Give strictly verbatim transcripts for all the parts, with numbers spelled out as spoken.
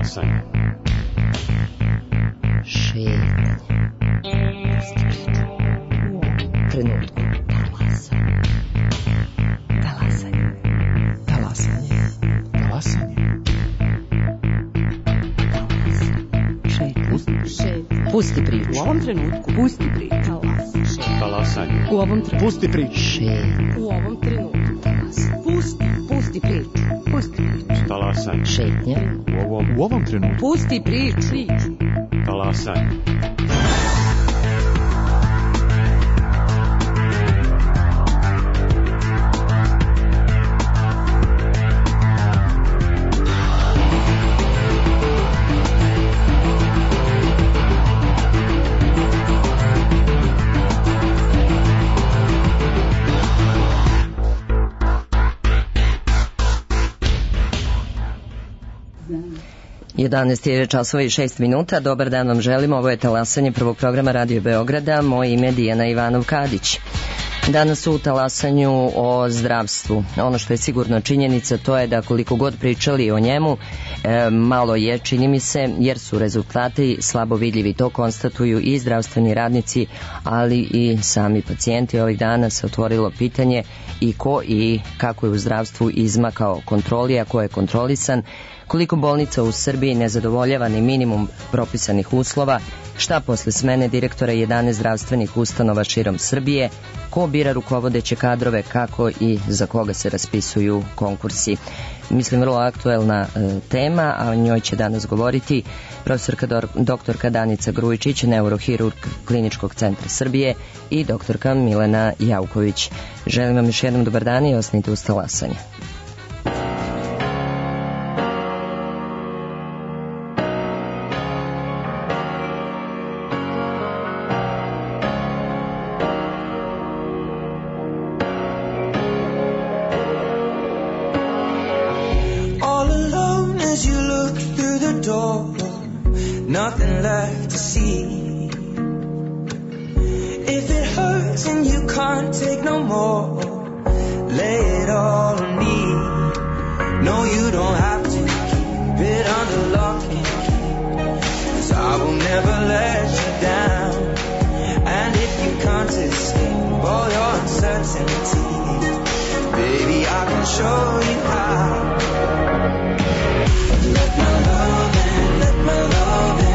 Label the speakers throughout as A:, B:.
A: Talasanje.
B: Šetanje. Trenutku. Talasanje. Talasanje.
C: Talasanje.
B: Šetanje. Pusti priču.
D: U ovom trenutku. Pusti priču.
A: Talasanje.
D: U ovom trenutku.
C: Pusti priču.
B: Šetanje.
D: U ovom trenutku. Pusti. Pusti priču. Pusti priču.
A: Talasanje.
B: Šetnja.
A: U ovom,
C: U ovom trenutku.
D: Pusti priču.
A: talasanje.
B: jedanaest je časova i šest minuta. Dobar dan vam želim. Ovo je talasanje prvog programa Radio Beograda. Moje ime je Dijana Ivanov-Kadić. Danas u talasanju o zdravstvu. Ono što je sigurno činjenica, to je da koliko god pričali o njemu, e, malo je, čini mi se, jer su rezultati slabo vidljivi. To konstatuju i zdravstveni radnici, ali i sami pacijenti. Ovih dana se otvorilo pitanje i ko i kako je u zdravstvu izmakao kontroli, a ko je kontrolisan, koliko bolnica u Srbiji ne zadovoljava ni minimum propisanih uslova, šta posle smene direktora jedanaest zdravstvenih ustanova širom Srbije, ko bira rukovodeće kadrove, kako i za koga se raspisuju konkursi. Mislim, vrlo aktuelna e, tema, a o njoj će danas govoriti profesorka do, doktorka Danica Grujičić, neurohirurg Kliničkog centra Srbije, i doktorka Milena Jauković. Želim vam još jednom dobar dan i ostanite uz talasanje.
E: Nothing left to see. If it hurts and you can't take no more, lay it all on me. No, you don't have to keep it under lock and key, 'cause I will never let you down. And if you can't escape all your uncertainty, baby, I can show you how. Let my love in, let my love in.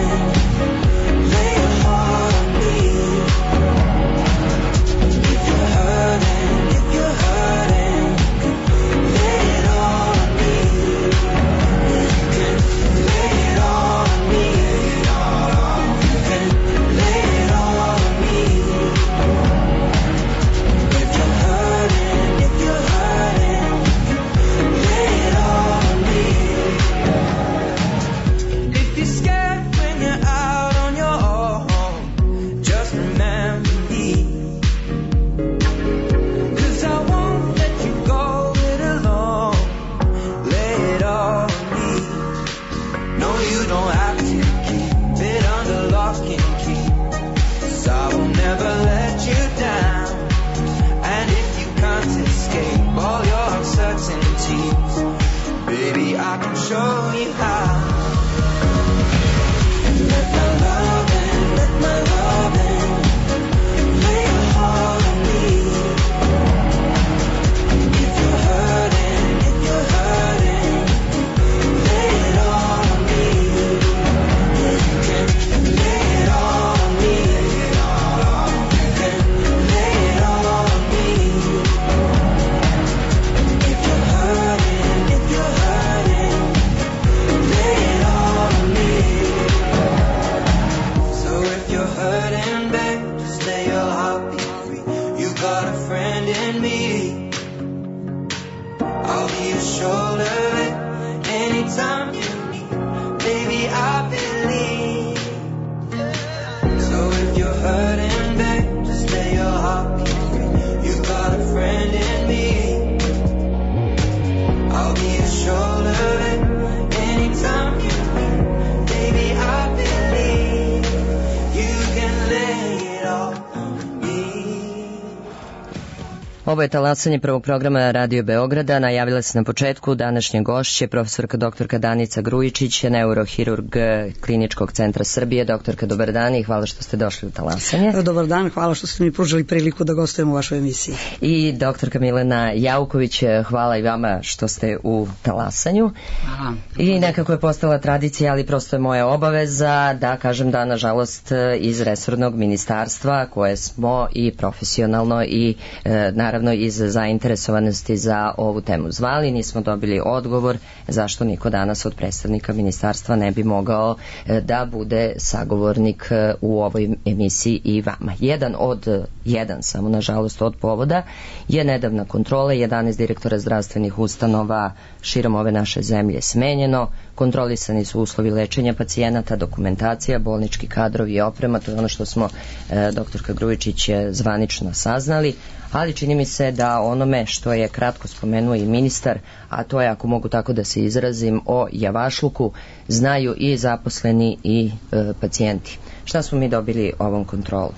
B: Ovo je talasanje prvog programa Radio Beograda. Najavila se na početku današnje gošće profesorka doktorka Danica Grujičić, neurohirurg Kliničkog centra Srbije. Doktorka, dobar dan i hvala što ste došli u talasanje.
C: Dobar dan, hvala što ste mi pružili priliku da gostujem u vašoj emisiji.
B: I doktorka Milena Jauković, hvala i vama što ste u talasanju.
D: Hvala.
B: I nekako je postala tradicija, ali prosto je moja obaveza da kažem da, nažalost, iz resornog ministarstva koje smo i profesionalno i e, naravno iz zainteresovanosti za ovu temu zvali, nismo dobili odgovor zašto niko danas od predstavnika ministarstva ne bi mogao da bude sagovornik u ovoj emisiji i vama. Jedan od, jedan samo nažalost od povoda je nedavna kontrola, jedanaest direktora zdravstvenih ustanova širom ove naše zemlje smenjeno, kontrolisani su uslovi lečenja pacijenata, dokumentacija, bolnički kadrovi i oprema, to je ono što smo e, doktorka Grujičić zvanično saznali, ali čini mi se da onome što je kratko spomenuo i ministar, a to je, ako mogu tako da se izrazim, o javašluku, znaju i zaposleni i e, pacijenti. Šta smo mi dobili ovom kontrolu?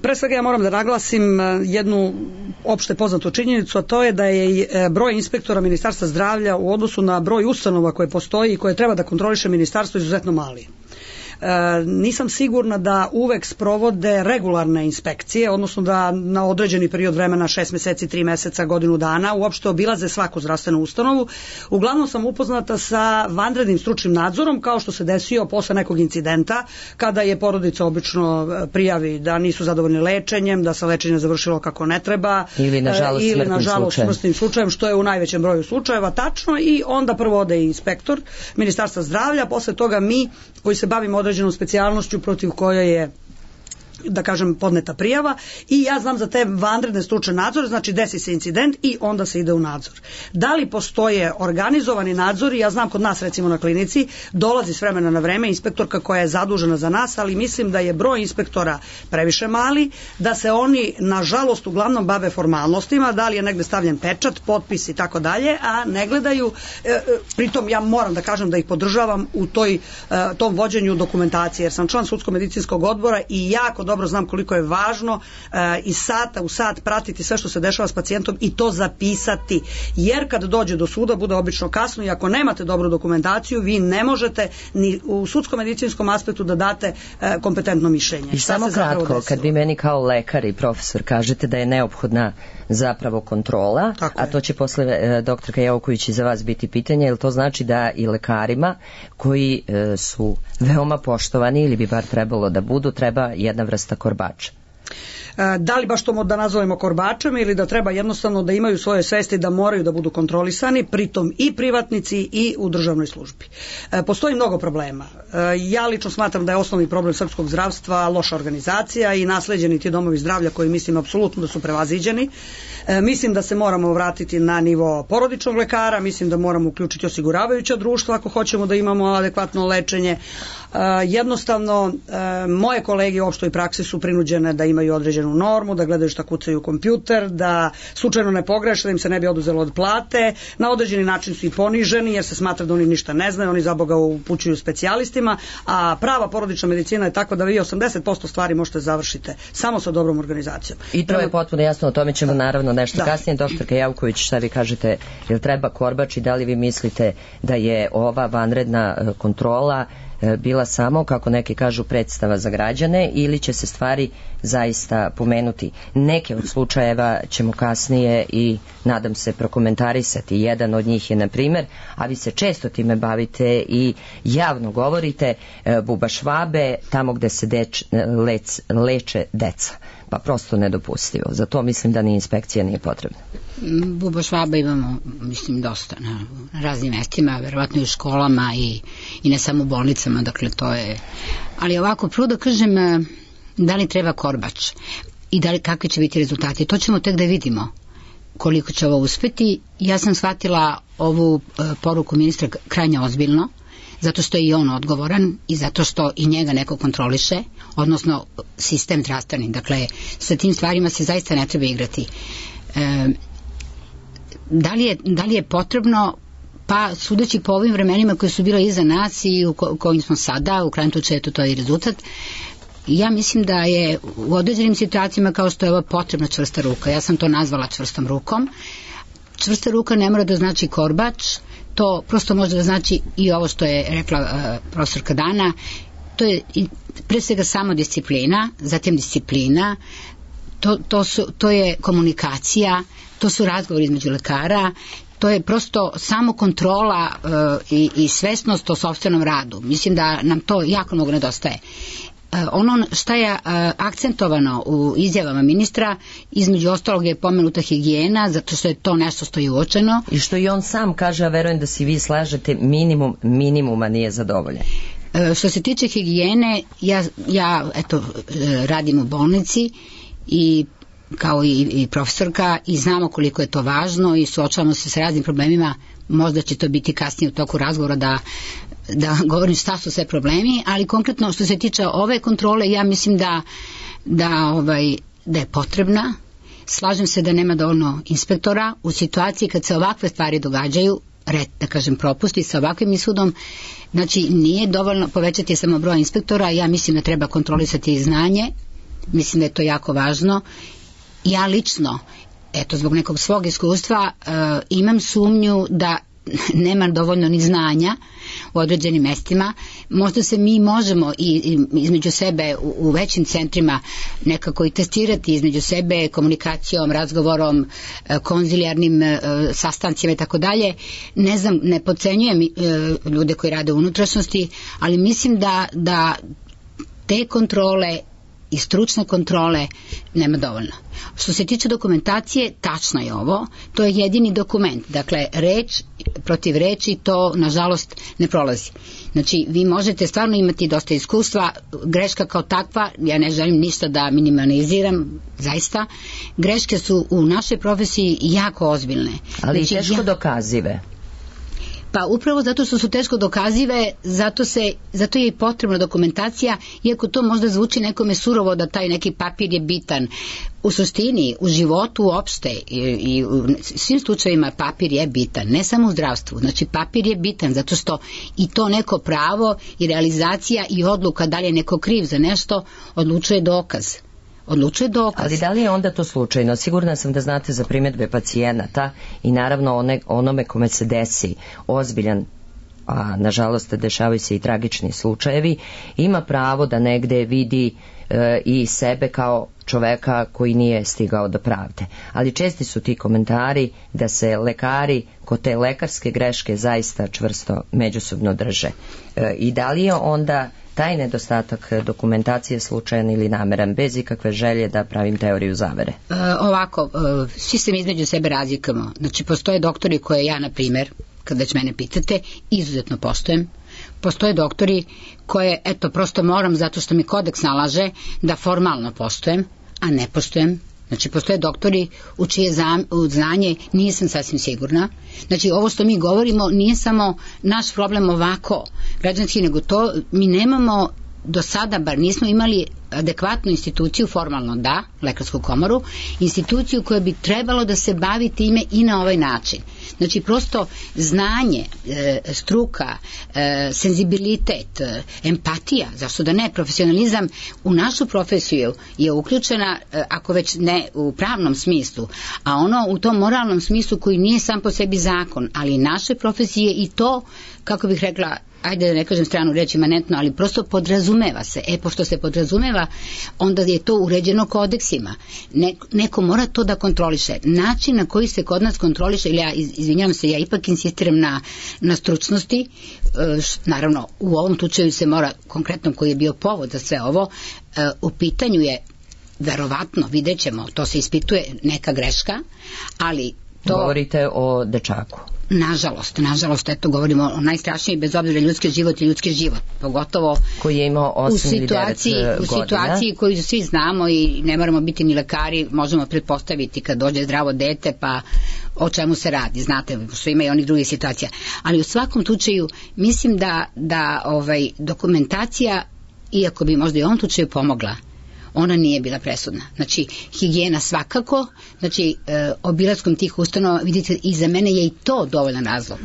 C: Pre svega ja moram da naglasim jednu opšte poznatu činjenicu, a to je da je broj inspektora Ministarstva zdravlja u odnosu na broj ustanova koje postoji i koje treba da kontroliše ministarstvo izuzetno mali. E, nisam sigurna da uvek sprovode regularne inspekcije, odnosno da na određeni period vremena, šest meseci, tri meseca, godinu dana, uopšte obilaze svaku zdravstvenu ustanovu. Uglavnom sam upoznata sa vanrednim stručnim nadzorom, kao što se desio posle nekog incidenta, kada je porodica obično prijavi da nisu zadovoljni lečenjem, da se lečenje završilo kako ne treba,
B: ili nažalost,
C: ili,
B: smrtnim,
C: nažalost
B: slučajem.
C: smrtnim slučajem, što je u najvećem broju slučajeva tačno, i onda prvo ode inspektor Ministarstva zdravlja, posle toga mi koji se bavimo određenom specijalnošću protiv koje je, da kažem, podneta prijava, i ja znam za te vanredne stručne nadzore, znači desi se incident i onda se ide u nadzor. Da li postoje organizovani nadzori? Ja znam kod nas, recimo na klinici, dolazi s vremena na vreme inspektorka koja je zadužena za nas, ali mislim da je broj inspektora previše mali, da se oni nažalost uglavnom bave formalnostima, da li je negde stavljen pečat, potpis i tako dalje, a ne gledaju, e, pritom ja moram da kažem da ih podržavam u toj, e, tom vođenju dokumentacije, jer sam član sudsko-medicinskog odbora i jako dobro znam koliko je važno e, iz sata u sat pratiti sve što se dešava s pacijentom i to zapisati, jer kad dođe do suda bude obično kasno i ako nemate dobru dokumentaciju vi ne možete ni u sudsko-medicinskom aspektu da date e, kompetentno mišljenje.
B: I samo kratko, kad vi meni kao lekar i profesor kažete da je neophodna zapravo kontrola,
C: tako
B: a
C: je.
B: To će posle e, doktorka Jauković i za vas biti pitanje, jer to znači da i lekarima koji e, su veoma poštovani ili bi bar trebalo da budu, treba jedna vrsta korbača.
C: Da li baš to da nazovemo korbačem ili da treba jednostavno da imaju svoje svesti da moraju da budu kontrolisani, pritom i privatnici i u državnoj službi. Postoji mnogo problema. Ja lično smatram da je osnovni problem srpskog zdravstva loša organizacija i nasleđeni ti domovi zdravlja koji mislim apsolutno da su prevaziđeni. Mislim da se moramo vratiti na nivo porodičnog lekara, mislim da moramo uključiti osiguravajuća društva ako hoćemo da imamo adekvatno lečenje. Jednostavno, moje kolege u opštoj praksi su prinuđene da imaju određenu normu, da gledaju šta kucaju u kompjuter, da slučajno ne pogreše, da im se ne bi oduzelo od plate, na određeni način su i poniženi jer se smatra da oni ništa ne znaju, oni za Boga upućuju specijalistima, a prava porodična medicina je takva da vi osamdeset posto stvari možete završite samo sa dobrom organizacijom.
B: I to je potpuno jasno, o tome ćemo naravno nešto da. kasnije. Doktorka Jauković, šta vi kažete, jel treba korbač i da li vi mislite da je ova vanredna kontrola bila samo, kako neki kažu, predstava za građane ili će se stvari zaista pomenuti? Neke od slučajeva ćemo kasnije i nadam se prokomentarisati. Jedan od njih je, na primjer, a vi se često time bavite i javno govorite, bubašvabe tamo gde se deč, lec, leče deca. Pa prosto nedopustivo. Za to mislim da ni inspekcija nije potrebna.
D: Bubašvaba imamo, mislim, dosta na raznim mestima, verovatno i u školama i, i ne samo u bolnicama, dakle to je... Ali ovako, prvo da kažem, da li treba korbač i da li, kakvi će biti rezultati, to ćemo tek da vidimo koliko će ovo uspeti. Ja sam shvatila ovu uh, poruku ministra krajnje ozbiljno, zato što je i on odgovoran i zato što i njega neko kontroliše, odnosno sistem zdravstveni. Dakle, sa tim stvarima se zaista ne treba igrati. E, da, li je, da li je potrebno, pa sudeći po ovim vremenima koji su bila iza nas i u ko, kojim smo sada, u krajnjem slučaju to je i rezultat, ja mislim da je u određenim situacijama kao što je ova potrebna čvrsta ruka. Ja sam to nazvala čvrstom rukom. Čvrsta ruka ne mora da znači korbač, to prosto može da znači i ovo što je rekla uh, profesorka Dana, to je pre svega samo disciplina, zatim disciplina, to, to, su, to je komunikacija, to su razgovori između lekara, to je prosto samo kontrola uh, i, i svesnost o sopstvenom radu. Mislim da nam to jako mnogo nedostaje. Uh, ono šta je uh, akcentovano u izjavama ministra, između ostalog je pomenuta higijena, zato što je to nešto što je uočeno.
B: I što i on sam kaže, a verujem da si vi slažete, minimum minimuma nije zadovoljen.
D: Uh, što se tiče higijene, ja, ja eto, uh, radim u bolnici i kao i, i profesorka i znamo koliko je to važno i suočavamo se s raznim problemima. Možda će to biti kasnije u toku razgovora da, da govorim šta su sve problemi, ali konkretno što se tiče ove kontrole, ja mislim da, da, ovaj, da je potrebna. Slažem se da nema dovoljno inspektora u situaciji kad se ovakve stvari događaju, red, da kažem propusti sa ovakvim ishodom. Znači nije dovoljno povećati samo broj inspektora, ja mislim da treba kontrolisati i znanje, mislim da je to jako važno. Ja lično, eto zbog nekog svog iskustva, uh, imam sumnju da nema dovoljno ni znanja u određenim mestima. Možda se mi možemo i, i između sebe u, u većim centrima nekako i testirati između sebe komunikacijom, razgovorom, uh, konzilijarnim uh, sastancima i tako dalje. Ne znam, ne podcenjujem uh, ljude koji rade u unutrašnjosti, ali mislim da, da te kontrole i stručne kontrole nema dovoljno. Što se tiče dokumentacije, tačno je ovo, to je jedini dokument, dakle reč protiv reči to nažalost ne prolazi. Znači vi možete stvarno imati dosta iskustva, greška kao takva, ja ne želim ništa da minimaliziram, zaista, greške su u našoj profesiji jako ozbiljne.
B: Ali
D: znači,
B: teško
D: ja...
B: dokazive.
D: Pa upravo zato što su teško dokazive, zato, se, zato je i potrebna dokumentacija, iako to možda zvuči nekome surovo da taj neki papir je bitan. U suštini, u životu uopšte i, i u svim slučajevima papir je bitan, ne samo u zdravstvu. Znači papir je bitan zato što i to neko pravo i realizacija i odluka da li je neko kriv za nešto odlučuje dokaz. Odlučuje dokaz.
B: Ali da li je onda to slučajno? Sigurna sam da znate za primjedbe pacijenata i naravno one, onome kome se desi ozbiljan, a nažalost dešavaju se i tragični slučajevi, ima pravo da negde vidi e, i sebe kao čoveka koji nije stigao do pravde. Ali česti su ti komentari da se lekari kod te lekarske greške zaista čvrsto međusobno drže. E, I da li je onda taj nedostatak dokumentacije slučajan ili nameran, bez ikakve želje da pravim teoriju zavere?
D: E, ovako, e, svi se mi između sebe razlikamo. Znači, postoje doktori koje ja, na primjer, kad već mene pitate, izuzetno poštujem. Postoje doktori koje, eto, prosto moram, zato što mi kodeks nalaže, da formalno poštujem, a ne poštujem. Znači, postoje doktori u čije zam, u znanje nisam sasvim sigurna. Znači, ovo što mi govorimo nije samo naš problem ovako građanski, nego to mi nemamo do sada, bar nismo imali adekvatnu instituciju, formalno da, lekarsku komoru, instituciju koja bi trebalo da se bavi time i na ovaj način. Znači, prosto znanje, e, struka, e, senzibilitet, e, empatija, zašto da ne, profesionalizam u našu profesiju je uključena, e, ako već ne u pravnom smislu, a ono u tom moralnom smislu koji nije sam po sebi zakon, ali naše profesije i to, kako bih rekla, ajde da ne kažem stranu reč imanentno, ali prosto podrazumeva se. E, pošto se podrazumeva, onda je to uređeno kodeksima. Ne, neko mora to da kontroliše. Način na koji se kod nas kontroliše, ili ja izvinjavam se, ja ipak insistiram na, na stručnosti, e, š, naravno u ovom slučaju se mora, konkretno koji je bio povod za sve ovo, e, u pitanju je verovatno, vidjet ćemo, to se ispituje neka greška, ali to...
B: Govorite o dečaku.
D: Nažalost, nažalost, eto govorimo o najstrašniji, bez obzira ljudski život i ljudski život, pogotovo
B: koji je imao osam ili devet godina.
D: U situaciji koju svi znamo i ne moramo biti ni lekari, možemo pretpostaviti kad dođe zdravo dete, pa o čemu se radi, znate, što ima i onih drugih situacija. Ali u svakom slučaju mislim da, da ovaj, dokumentacija, iako bi možda i u ovom slučaju pomogla, ona nije bila presudna. Znači, higijena svakako, znači, e, obilaskom tih ustanova, vidite, i za mene je i to dovoljan razlog.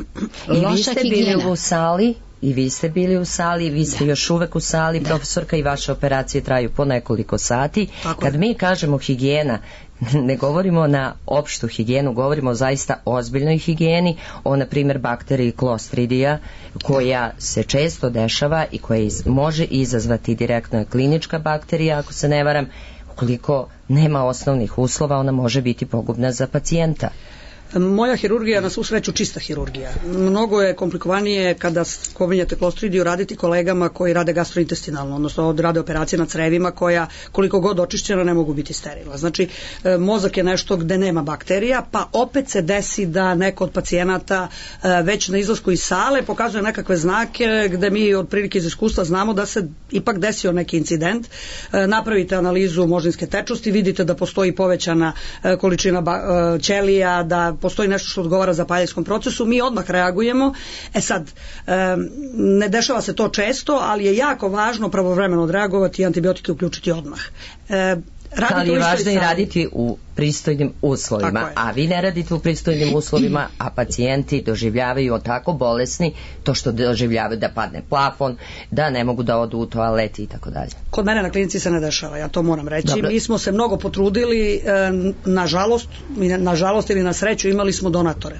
B: I vi ste bili u sali i vi ste bili u sali, vi ste da. još uvek u sali, da. profesorka, i vaše operacije traju po nekoliko sati. Tako Kad je. mi kažemo higijena, ne govorimo na opštu higijenu, govorimo o zaista ozbiljnoj higijeni, o na primjer bakteriji Clostridia, koja se često dešava i koja iz, može izazvati direktno klinička bakterija, ako se ne varam. Ukoliko nema osnovnih uslova, ona može biti pogubna za pacijenta.
C: Moja hirurgija na svu sreću čista hirurgija. Mnogo je komplikovanije kada spominjate Clostridiju raditi kolegama koji rade gastrointestinalno, odnosno rade operacije na crevima koja koliko god očišćena ne mogu biti sterilna. Znači mozak je nešto gde nema bakterija, pa opet se desi da neko od pacijenata već na izlasku iz sale pokazuje nekakve znake gde mi otprilike iz iskustva znamo da se ipak desio neki incident. Napravite analizu moždinske tečnosti, vidite da postoji povećana količina ćelija, da postoji nešto što odgovara zapaljivskom procesu, mi odmah reagujemo. E sad, ne dešava se to često, ali je jako važno pravovremeno odreagovati i antibiotike uključiti odmah.
B: Ali je važno i raditi u pristojnim uslovima, a vi ne radite u pristojnim uslovima, a pacijenti doživljavaju tako bolesni to što doživljavaju da padne plafon, da ne mogu da odu u toaleti i tako dalje.
C: Kod mene na klinici se ne dešava, ja to moram reći. Dobro. Mi smo se mnogo potrudili, nažalost, nažalost ili na sreću imali smo donatore.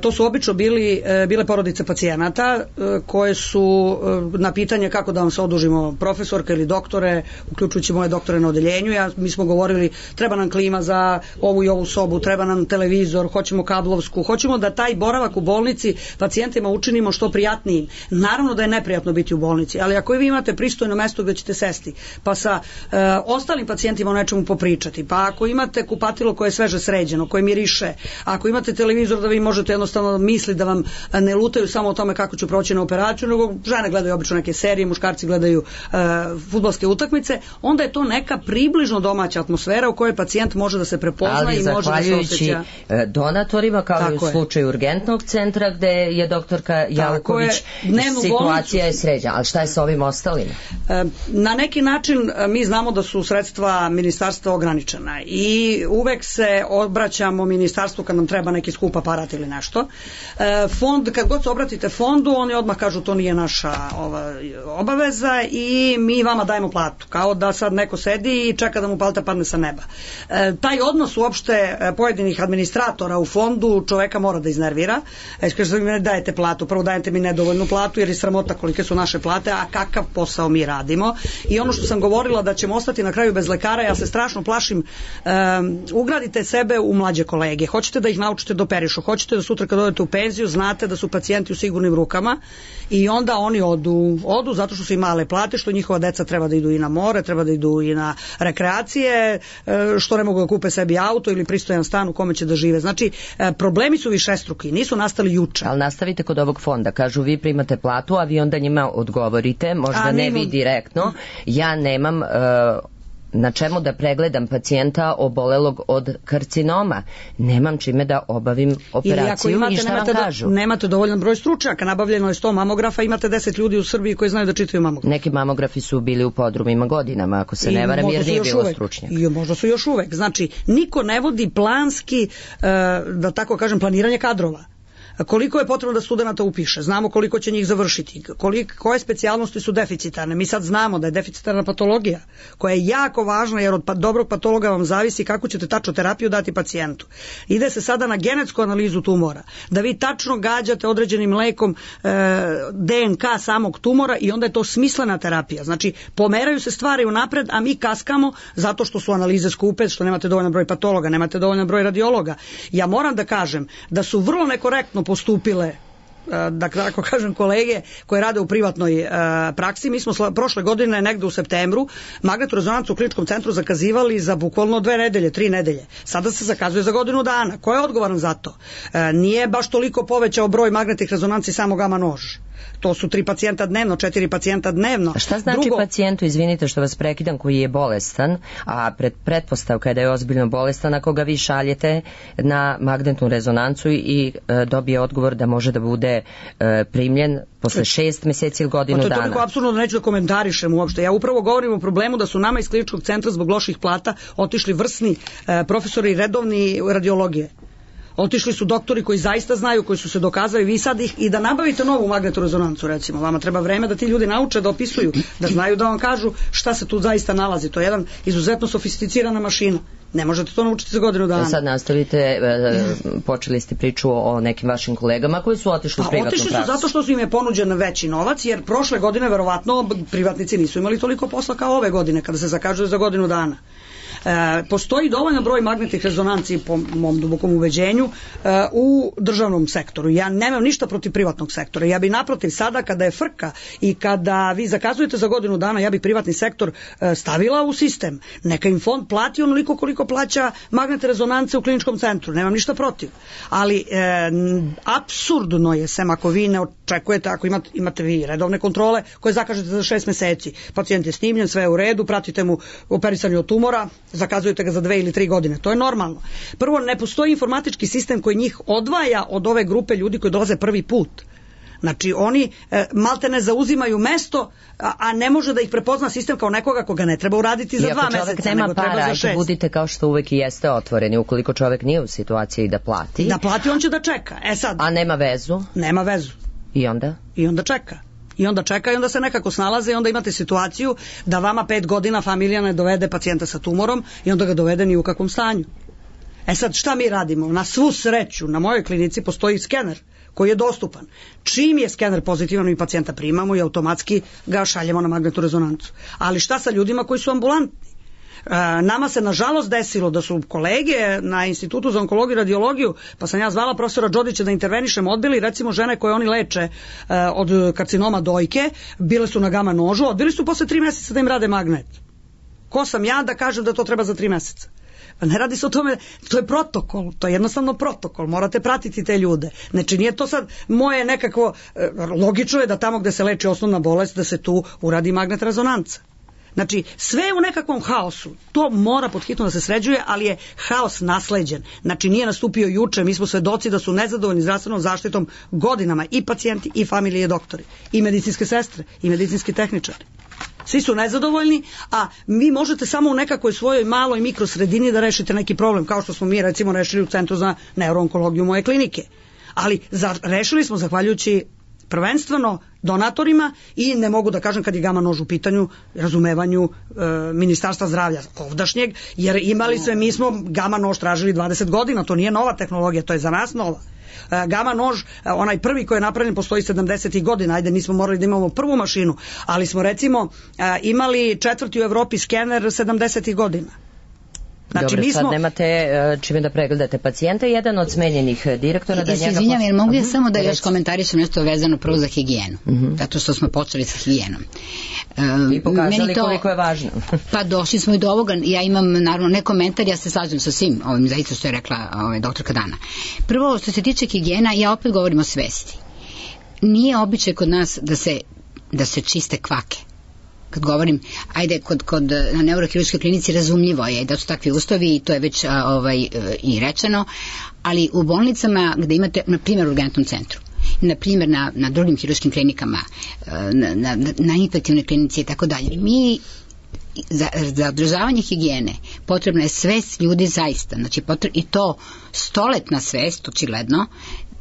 C: To su obično bili, bile porodice pacijenata koje su na pitanje kako da vam se odužimo, profesorka ili doktore, uključujući moje doktore na odeljenju, ja, mi smo govorili treba nam klima za ovu i ovu sobu, treba nam televizor, hoćemo kablovsku, hoćemo da taj boravak u bolnici pacijentima učinimo što prijatnijim. Naravno da je neprijatno biti u bolnici, ali ako vi imate pristojno mesto gde ćete sesti, pa sa e, ostalim pacijentima o nečemu popričati, pa ako imate kupatilo koje je sveže sređeno, koje miriše, ako imate televizor da vi možete jednostavno misli da vam ne lutaju samo o tome kako ću proći na operaciju, nego žene gledaju obično neke serije, muškarci gledaju uh, fudbalske utakmice, onda je to neka približno domaća atmosfera u kojoj pacijent može da se prepozna
B: ali
C: i može da se osjeća.
B: Donatorima, kao tako i u slučaju urgentnog centra gde je doktorka Jalković, situacija je sređena. Ali šta je sa ovim ostalim?
C: Na neki način mi znamo da su sredstva ministarstva ograničena i uvek se obraćamo ministarstvu kad nam treba neki skup aparat ili nešto. Fond, kad god se obratite fondu, oni odmah kažu to nije naša ova, obaveza i mi vama dajemo platu. Kao da sad neko sedi i čeka da mu plata padne sa neba. E, taj odnos uopšte pojedinih administratora u fondu čoveka mora da iznervira. E, kaže, mi ne dajete platu, prvo dajete mi nedovoljnu platu jer je sramota kolike su naše plate, a kakav posao mi radimo. I ono što sam govorila da ćemo ostati na kraju bez lekara, ja se strašno plašim, e, ugradite sebe u mlađe kolege. Hoćete da ih naučite da operišu, hoćete da sutra kad odete u penziju znate da su pacijenti u sigurnim rukama i onda oni odu, odu zato što su i male plate, što njihova deca treba da idu i na more, treba da idu i na rekreacije, što ne mogu da kupe sebi auto ili pristojan stan u kome će da žive. Znači, problemi su višestruki, nisu nastali juče.
B: Ali nastavite kod ovog fonda, kažu vi primate platu, a vi onda njima odgovorite, možda a, ne vi direktno, ja nemam uh, na čemu da pregledam pacijenta obolelog od karcinoma. Nemam čime da obavim operaciju imate, i šta vam kažu?
C: Do, nemate dovoljan broj stručnjaka, nabavljeno je sto mamografa, imate deset ljudi u Srbiji koji znaju da čitaju mamograf.
B: Neki mamografi su bili u podrumima godinama, ako se I ne varam, jer nije bilo stručnjaka.
C: I možda su još uvek. Znači, niko ne vodi planski, uh, da tako kažem, planiranje kadrova. Koliko je potrebno da studenta upiše, znamo koliko će njih završiti, koliko, koje specijalnosti su deficitarne. Mi sad znamo da je deficitarna patologija koja je jako važna jer od pa, dobrog patologa vam zavisi kako ćete tačno terapiju dati pacijentu. Ide se sada na genetsku analizu tumora, da vi tačno gađate određenim lekom e, D N K samog tumora i onda je to smislena terapija. Znači, pomeraju se stvari unapred, a mi kaskamo zato što su analize skupe, što nemate dovoljan broj patologa, nemate dovoljan broj radiologa. Ja moram da kažem da su vrlo nekorektno postupile, da tako kažem, kolege koje rade u privatnoj uh, praksi. Mi smo sla, prošle godine negde u septembru magnetnu rezonancu u kliničkom centru zakazivali za bukvalno dve nedelje, tri nedelje. Sada se zakazuje za godinu dana. Ko je odgovoran za to? Uh, nije baš toliko povećao broj magnetnih rezonanci samo gama nož. To su tri pacijenta dnevno, četiri pacijenta dnevno.
B: A šta znači Drugo, pacijentu, izvinite što vas prekidam, koji je bolestan, a pred, pretpostavka je da je ozbiljno bolestan, ako ga vi šaljete na magnetnu rezonancu i e, dobije odgovor da može da bude e, primljen posle šest meseci ili godinu dana. To je
C: toliko apsurdno da neću da komentarišem uopšte. Ja upravo govorim o problemu da su nama iz kliničkog centra zbog loših plata otišli vrsni e, profesori redovni radiologije. Otišli su doktori koji zaista znaju, koji su se dokazali, vi sad ih, i da nabavite novu magnetnu rezonancu, recimo, vama treba vreme da ti ljudi nauče da opisuju, da znaju da vam kažu šta se tu zaista nalazi. To je jedan izuzetno sofisticirana mašina. Ne možete to naučiti za godinu dana.
B: Sad nastavite, e, počeli ste priču o nekim vašim kolegama koji su otišli u privatnu praksu.
C: Otišli su zato što su im je ponuđen veći novac, jer prošle godine verovatno privatnici nisu imali toliko posla kao ove godine, kada se zakažuje za godinu dana. E, postoji dovoljan broj magnetnih rezonanci, po mom dubokom ubeđenju, e, u državnom sektoru. Ja nemam ništa protiv privatnog sektora. Ja bi naprotiv sada kada je frka i kada vi zakazujete za godinu dana, ja bi privatni sektor e, stavila u sistem. Neka im fond plati onoliko koliko plaća magnetne rezonance u kliničkom centru. Nemam ništa protiv. Ali e, apsurdno je, sem ako vi ne očekujete, ako imate, imate vi redovne kontrole koje zakažete za šest meseci. Pacijent je snimljen, sve je u redu, pratite mu operisanje od tumora, zakazujete ga za dve ili tri godine. To je normalno. Prvo, ne postoji informatički sistem koji njih odvaja od ove grupe ljudi koji dolaze prvi put. Znači, oni e, malte ne zauzimaju mesto, a, a ne može da ih prepozna sistem kao nekoga koga ne treba uraditi za dva meseca, nego
B: para,
C: treba za šest.
B: Budite kao što uvek i jeste otvoreni, ukoliko čovek nije u situaciji da plati.
C: Da plati, on će da čeka. E sad.
B: A nema vezu?
C: Nema vezu.
B: I onda?
C: I onda čeka. I onda čeka i onda se nekako snalaze i onda imate situaciju da vama pet godina familija ne dovede pacijenta sa tumorom i onda ga dovede ni u kakvom stanju. E sad, šta mi radimo? Na svu sreću, na mojoj klinici postoji skener koji je dostupan. Čim je skener pozitivan, mi pacijenta primamo i automatski ga šaljemo na magnetnu rezonancu. Ali šta sa ljudima koji su ambulantni? E, nama se nažalost desilo da su kolege na Institutu za onkologiju i radiologiju, pa sam ja zvala profesora Đodića da intervenišem, odbili recimo žene koje oni leče e, od karcinoma dojke, bile su na gama nožu, odbili su posle tri meseca da im rade magnet. Ko sam ja da kažem da to treba za tri meseca? Pa ne radi se o tome, to je protokol, to je jednostavno protokol, morate pratiti te ljude. Znači nije to sad moje nekakvo, e, logično je da tamo gde se leči osnovna bolest da se tu uradi magnet rezonanca. Znači, sve je u nekakvom haosu. To mora pod hitno da se sređuje, ali je haos nasleđen. Znači, nije nastupio juče, mi smo svedoci da su nezadovoljni zdravstvenom zaštitom godinama i pacijenti, i familije, i doktori, i medicinske sestre, i medicinski tehničari. Svi su nezadovoljni, a vi možete samo u nekakvoj svojoj maloj mikrosredini da rešite neki problem, kao što smo mi recimo rešili u Centru za neuroonkologiju moje klinike. Ali za, rešili smo zahvaljujući prvenstveno donatorima i ne mogu da kažem kad je gama nož u pitanju razumevanju e, Ministarstva zdravlja ovdašnjeg, jer imali sve, mi smo gama nož tražili dvadeset godina, to nije nova tehnologija, to je za nas nova. E, gama nož, onaj prvi koji je napravljen postoji sedamdesetih godina, ajde nismo morali da imamo prvu mašinu, ali smo recimo e, imali četvrti u Evropi skener sedamdesetih godina.
B: Znači, dobro, mi smo... sad nemate čime da pregledate pacijenta. Jedan od smenjenih direktora da
D: ja
B: njega...
D: Izvinjam, jer mogu ja samo da još komentarišem nešto vezano prvo za higijenu. Uh-huh. Zato što smo počeli sa higijenom.
B: Um, I pokazali to, koliko je važno.
D: Pa došli smo i do ovoga. Ja imam naravno ne komentar, ja se slažem sa svim ovim zaista što je rekla ovaj, doktorka Dana. Prvo, što se tiče higijena, ja opet govorim o svesti. Nije običaj kod nas da se, da se čiste kvake. Kad govorim, ajde, kod, kod, na neurohirurškoj klinici razumljivo je da su takvi uslovi i to je već a, ovaj, i rečeno, ali u bolnicama gde imate, na primjer u urgentnom centru, na primjer na, na drugim hirurškim klinikama, na, na, na infektivnoj klinici i tako dalje, mi za, za održavanje higijene potrebna je svest ljudi zaista, znači potreb, i to stoletna svest, očigledno.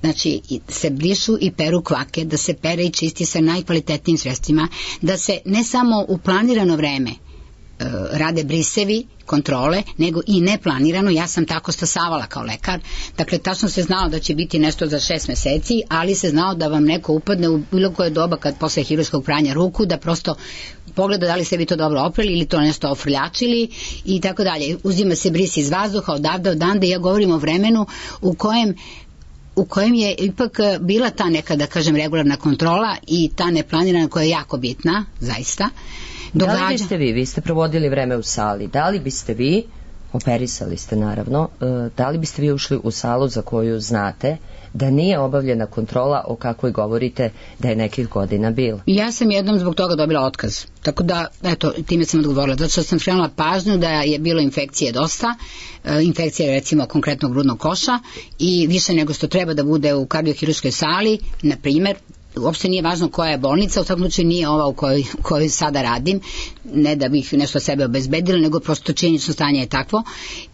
D: Znači, se brišu i peru kvake, da se pere i čisti sa najkvalitetnijim sredstvima, da se ne samo u planirano vreme e, rade brisevi, kontrole, nego i neplanirano. Ja sam tako stasavala kao lekar. Dakle, tačno se znao da će biti nešto za šest meseci, ali se znao da vam neko upadne u bilo koje doba kad posle hirurškog pranja ruku, da prosto pogleda da li ste vi to dobro oprali ili to nešto ofrljačili i tako dalje. Uzima se bris iz vazduha odavde odande. Ja govorim o vremenu u kojem u kojem je ipak bila ta neka, da kažem, regularna kontrola i ta neplanirana koja je jako bitna, zaista.
B: Događa... Da li biste vi, vi ste provodili vreme u sali, da li biste vi, operisali ste naravno, da li biste vi ušli u salu za koju znate da nije obavljena kontrola o kakvoj govorite da je nekih godina bilo?
D: Ja sam jednom zbog toga dobila otkaz. Tako da, eto, time sam odgovorila. Zato što sam skrenula pažnju da je bilo infekcije dosta, infekcije recimo konkretnog grudnog koša i više nego što treba da bude u kardiohirurškoj sali, na primjer, uopšte nije važno koja je bolnica, u svakom slučaju nije ova u kojoj, kojoj sada radim, ne da bih nešto sebe obezbedila, nego prosto činjenično stanje je takvo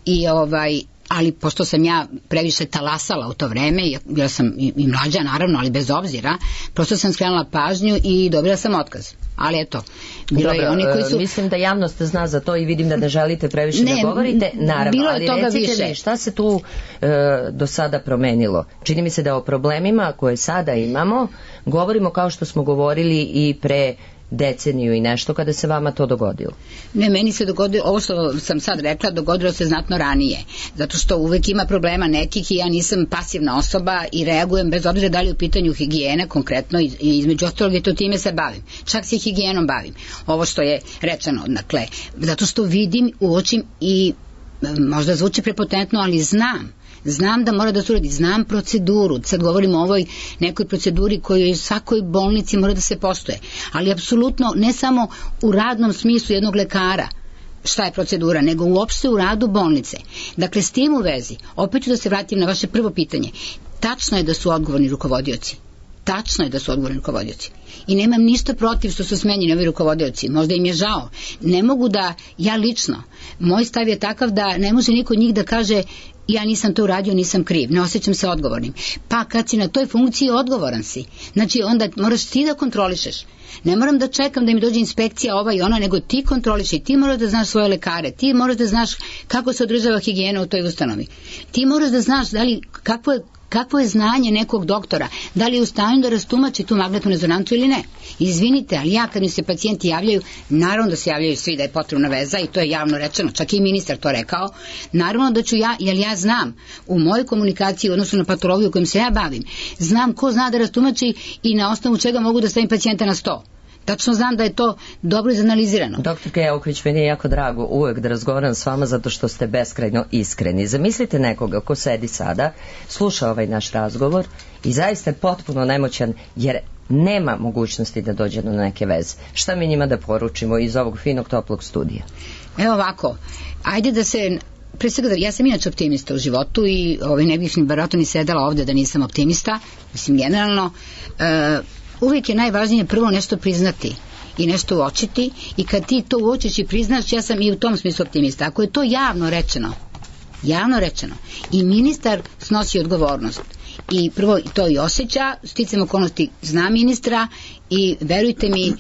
D: i ovaj ali pošto sam ja previše talasala u to vreme, bila sam i, i mlađa naravno, ali bez obzira, prosto sam skrenula pažnju i dobila sam otkaz. Ali eto, bilo
B: Dobro,
D: je oni koji su...
B: mislim da javnost zna za to i vidim da ne želite previše
D: ne,
B: da govorite, naravno,
D: bilo je
B: ali
D: toga
B: recite
D: više.
B: mi šta se tu e, do sada promenilo. Čini mi se da o problemima koje sada imamo govorimo kao što smo govorili i pre deceniju i nešto kada se vama to dogodilo.
D: Ne, meni se dogodilo, ovo što sam sad rekla, dogodilo se znatno ranije, zato što uvek ima problema nekih i ja nisam pasivna osoba i reagujem bez obzira da li je u pitanju higijena konkretno i između ostalog i to time se bavim. Čak se higijenom bavim. Ovo što je rečeno, dakle, zato što vidim, uočim i možda zvuči prepotentno, ali znam Znam da mora da se uradi, znam proceduru, sad govorimo o ovoj nekoj proceduri koju u svakoj bolnici mora da se postoje, ali apsolutno ne samo u radnom smislu jednog lekara šta je procedura, nego uopšte u radu bolnice. Dakle, s tim u vezi, opet ću da se vratim na vaše prvo pitanje, tačno je da su odgovorni rukovodioci. Tačno je da su odgovorni rukovodioci. I nemam ništa protiv što su smenjeni ovi rukovodioci. Možda im je žao. Ne mogu da, ja lično, moj stav je takav da ne može niko od njih da kaže ja nisam to uradio, nisam kriv, ne osjećam se odgovornim. Pa kad si na toj funkciji, odgovoran si. Znači onda moraš ti da kontrolišeš. Ne moram da čekam da mi dođe inspekcija ova i ona, nego ti kontroliš i ti moraš da znaš svoje lekare, ti moraš da znaš kako se održava higijena u toj ustanovi. Ti moraš da znaš da li, kakvo je kakvo je znanje nekog doktora, da li je u stanju da rastumači tu magnetnu rezonancu ili ne. Izvinite, ali ja kad mi se pacijenti javljaju, naravno da se javljaju svi da je potrebna veza i to je javno rečeno, čak i ministar to rekao, naravno da ću ja, jer ja znam u mojoj komunikaciji u odnosu na patologiju kojom se ja bavim, znam ko zna da rastumači i na osnovu čega mogu da stavim pacijenta na sto. Tačno znam da je to dobro izanalizirano.
B: Doktor Keoković, meni je jako drago uvek da razgovaram s vama zato što ste beskrajno iskreni. Zamislite nekoga ko sedi sada, sluša ovaj naš razgovor i zaista je potpuno nemoćan jer nema mogućnosti da dođe do neke veze. Šta mi njima da poručimo iz ovog finog toplog studija?
D: Evo ovako, ajde da se... Pre svega, ja sam inače optimista u životu i ovaj, ne bih ni verovatno ni sedela ovde da nisam optimista. Mislim, generalno... Uh, uvijek je najvažnije prvo nešto priznati i nešto uočiti i kad ti to uočiš i priznaš, ja sam i u tom smislu optimista. Ako je to javno rečeno, javno rečeno i ministar snosi odgovornost i prvo to i osjeća, sticam okolnosti zna ministra i verujte mi,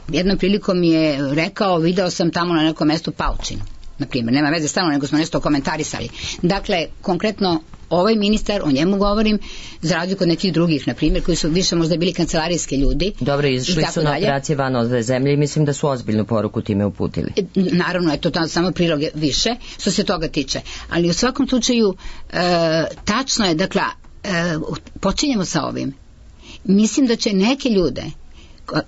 D: jednom prilikom mi je rekao, video sam tamo na nekom mestu paučinu, na primjer, nema veze stalno, nego smo nešto komentarisali. Dakle, konkretno ovaj ministar, o njemu govorim, za razliku od nekih drugih, na primjer, koji su više možda bili kancelarijski ljudi.
B: Dobro, izšli su na operacije van ove zemlje i mislim da su ozbiljnu poruku time uputili.
D: E, naravno, je to tam samo prilog više, što se toga tiče. Ali u svakom slučaju, e, tačno je, dakle, e, počinjemo sa ovim. Mislim da će neke ljude,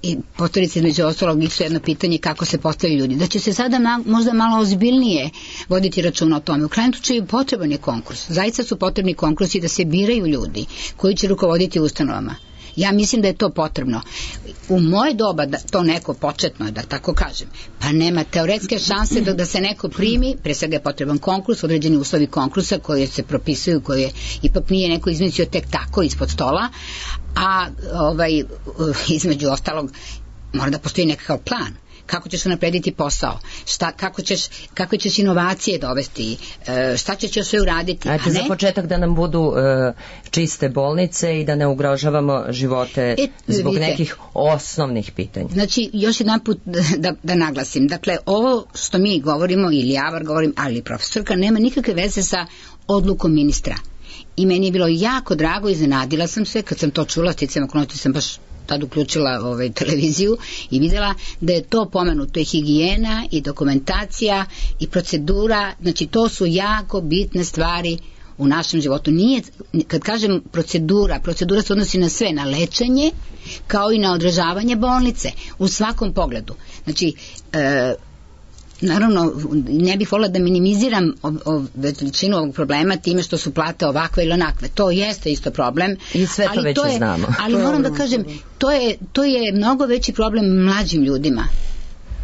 D: i postaviti se između ostalog isto jedno pitanje kako se postavljaju ljudi, da će se sada ma, možda malo ozbiljnije voditi računa o tome. U krajnjem slučaju potreban je konkurs. Zaista su potrebni konkursi da se biraju ljudi koji će rukovoditi ustanovama. Ja mislim da je to potrebno. U moje doba, da to neko početno, da tako kažem, pa nema teoretske šanse da, da se neko primi, pre svega je potreban konkurs, određeni uslovi konkursa koji se propisuju, koji je, ipak nije neko izmislio tek tako ispod stola, a ovaj, između ostalog mora da postoji nekakav plan. Kako ćeš naprediti posao, šta, kako, ćeš, kako ćeš inovacije dovesti, šta ćeš još sve uraditi.
B: Ajde, a ne? Za početak da nam budu uh, čiste bolnice i da ne ugrožavamo živote e, zbog vidite, nekih osnovnih pitanja.
D: Znači, još jedan put da, da naglasim, dakle, ovo što mi govorimo, ili ja var govorim, ali profesorka, nema nikakve veze sa odlukom ministra. I meni je bilo jako drago, iznenadila sam se, kad sam to čula, sticam okolnosti sam baš tad uključila ovaj, televiziju i videla da je to pomenuto i higijena i dokumentacija i procedura, znači to su jako bitne stvari u našem životu. Nije, kad kažem procedura, procedura se odnosi na sve, na lečenje kao i na održavanje bolnice u svakom pogledu. Znači, e, naravno, ne bih volila da minimiziram veličinu ovog problema time što su plate ovakve ili onakve. To jeste isto problem.
B: I sve to
D: ali
B: već
D: to je,
B: znamo.
D: Ali moram da kažem, to je, to je mnogo veći problem mlađim ljudima.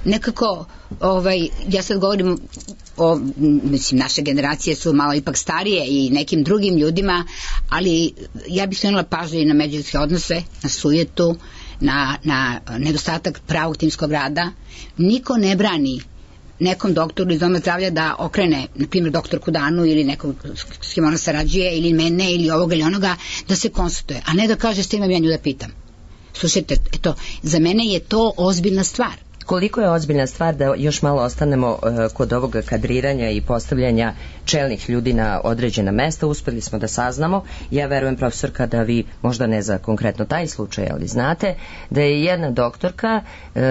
D: Nekako, ovaj, ja sad govorim o, mislim, naše generacije su malo ipak starije i nekim drugim ljudima, ali ja bih skrenula pažnju i na međuljudske odnose, na sujetu, na, na nedostatak pravog timskog rada. Niko ne brani nekom doktoru iz doma zdravlja da okrene, na primjer, doktorku Danu ili nekog s kim ona sarađuje, ili mene, ili ovoga ili onoga, da se konsultuje, a ne da kaže s tim imam ja nju da pitam. Slušajte, eto, za mene je to ozbiljna stvar.
B: Koliko je ozbiljna stvar da još malo ostanemo uh, kod ovoga kadriranja i postavljanja čelnih ljudi na određena mesta, uspeli smo da saznamo, ja verujem, profesorka, da vi možda ne za konkretno taj slučaj, ali znate da je jedna doktorka uh,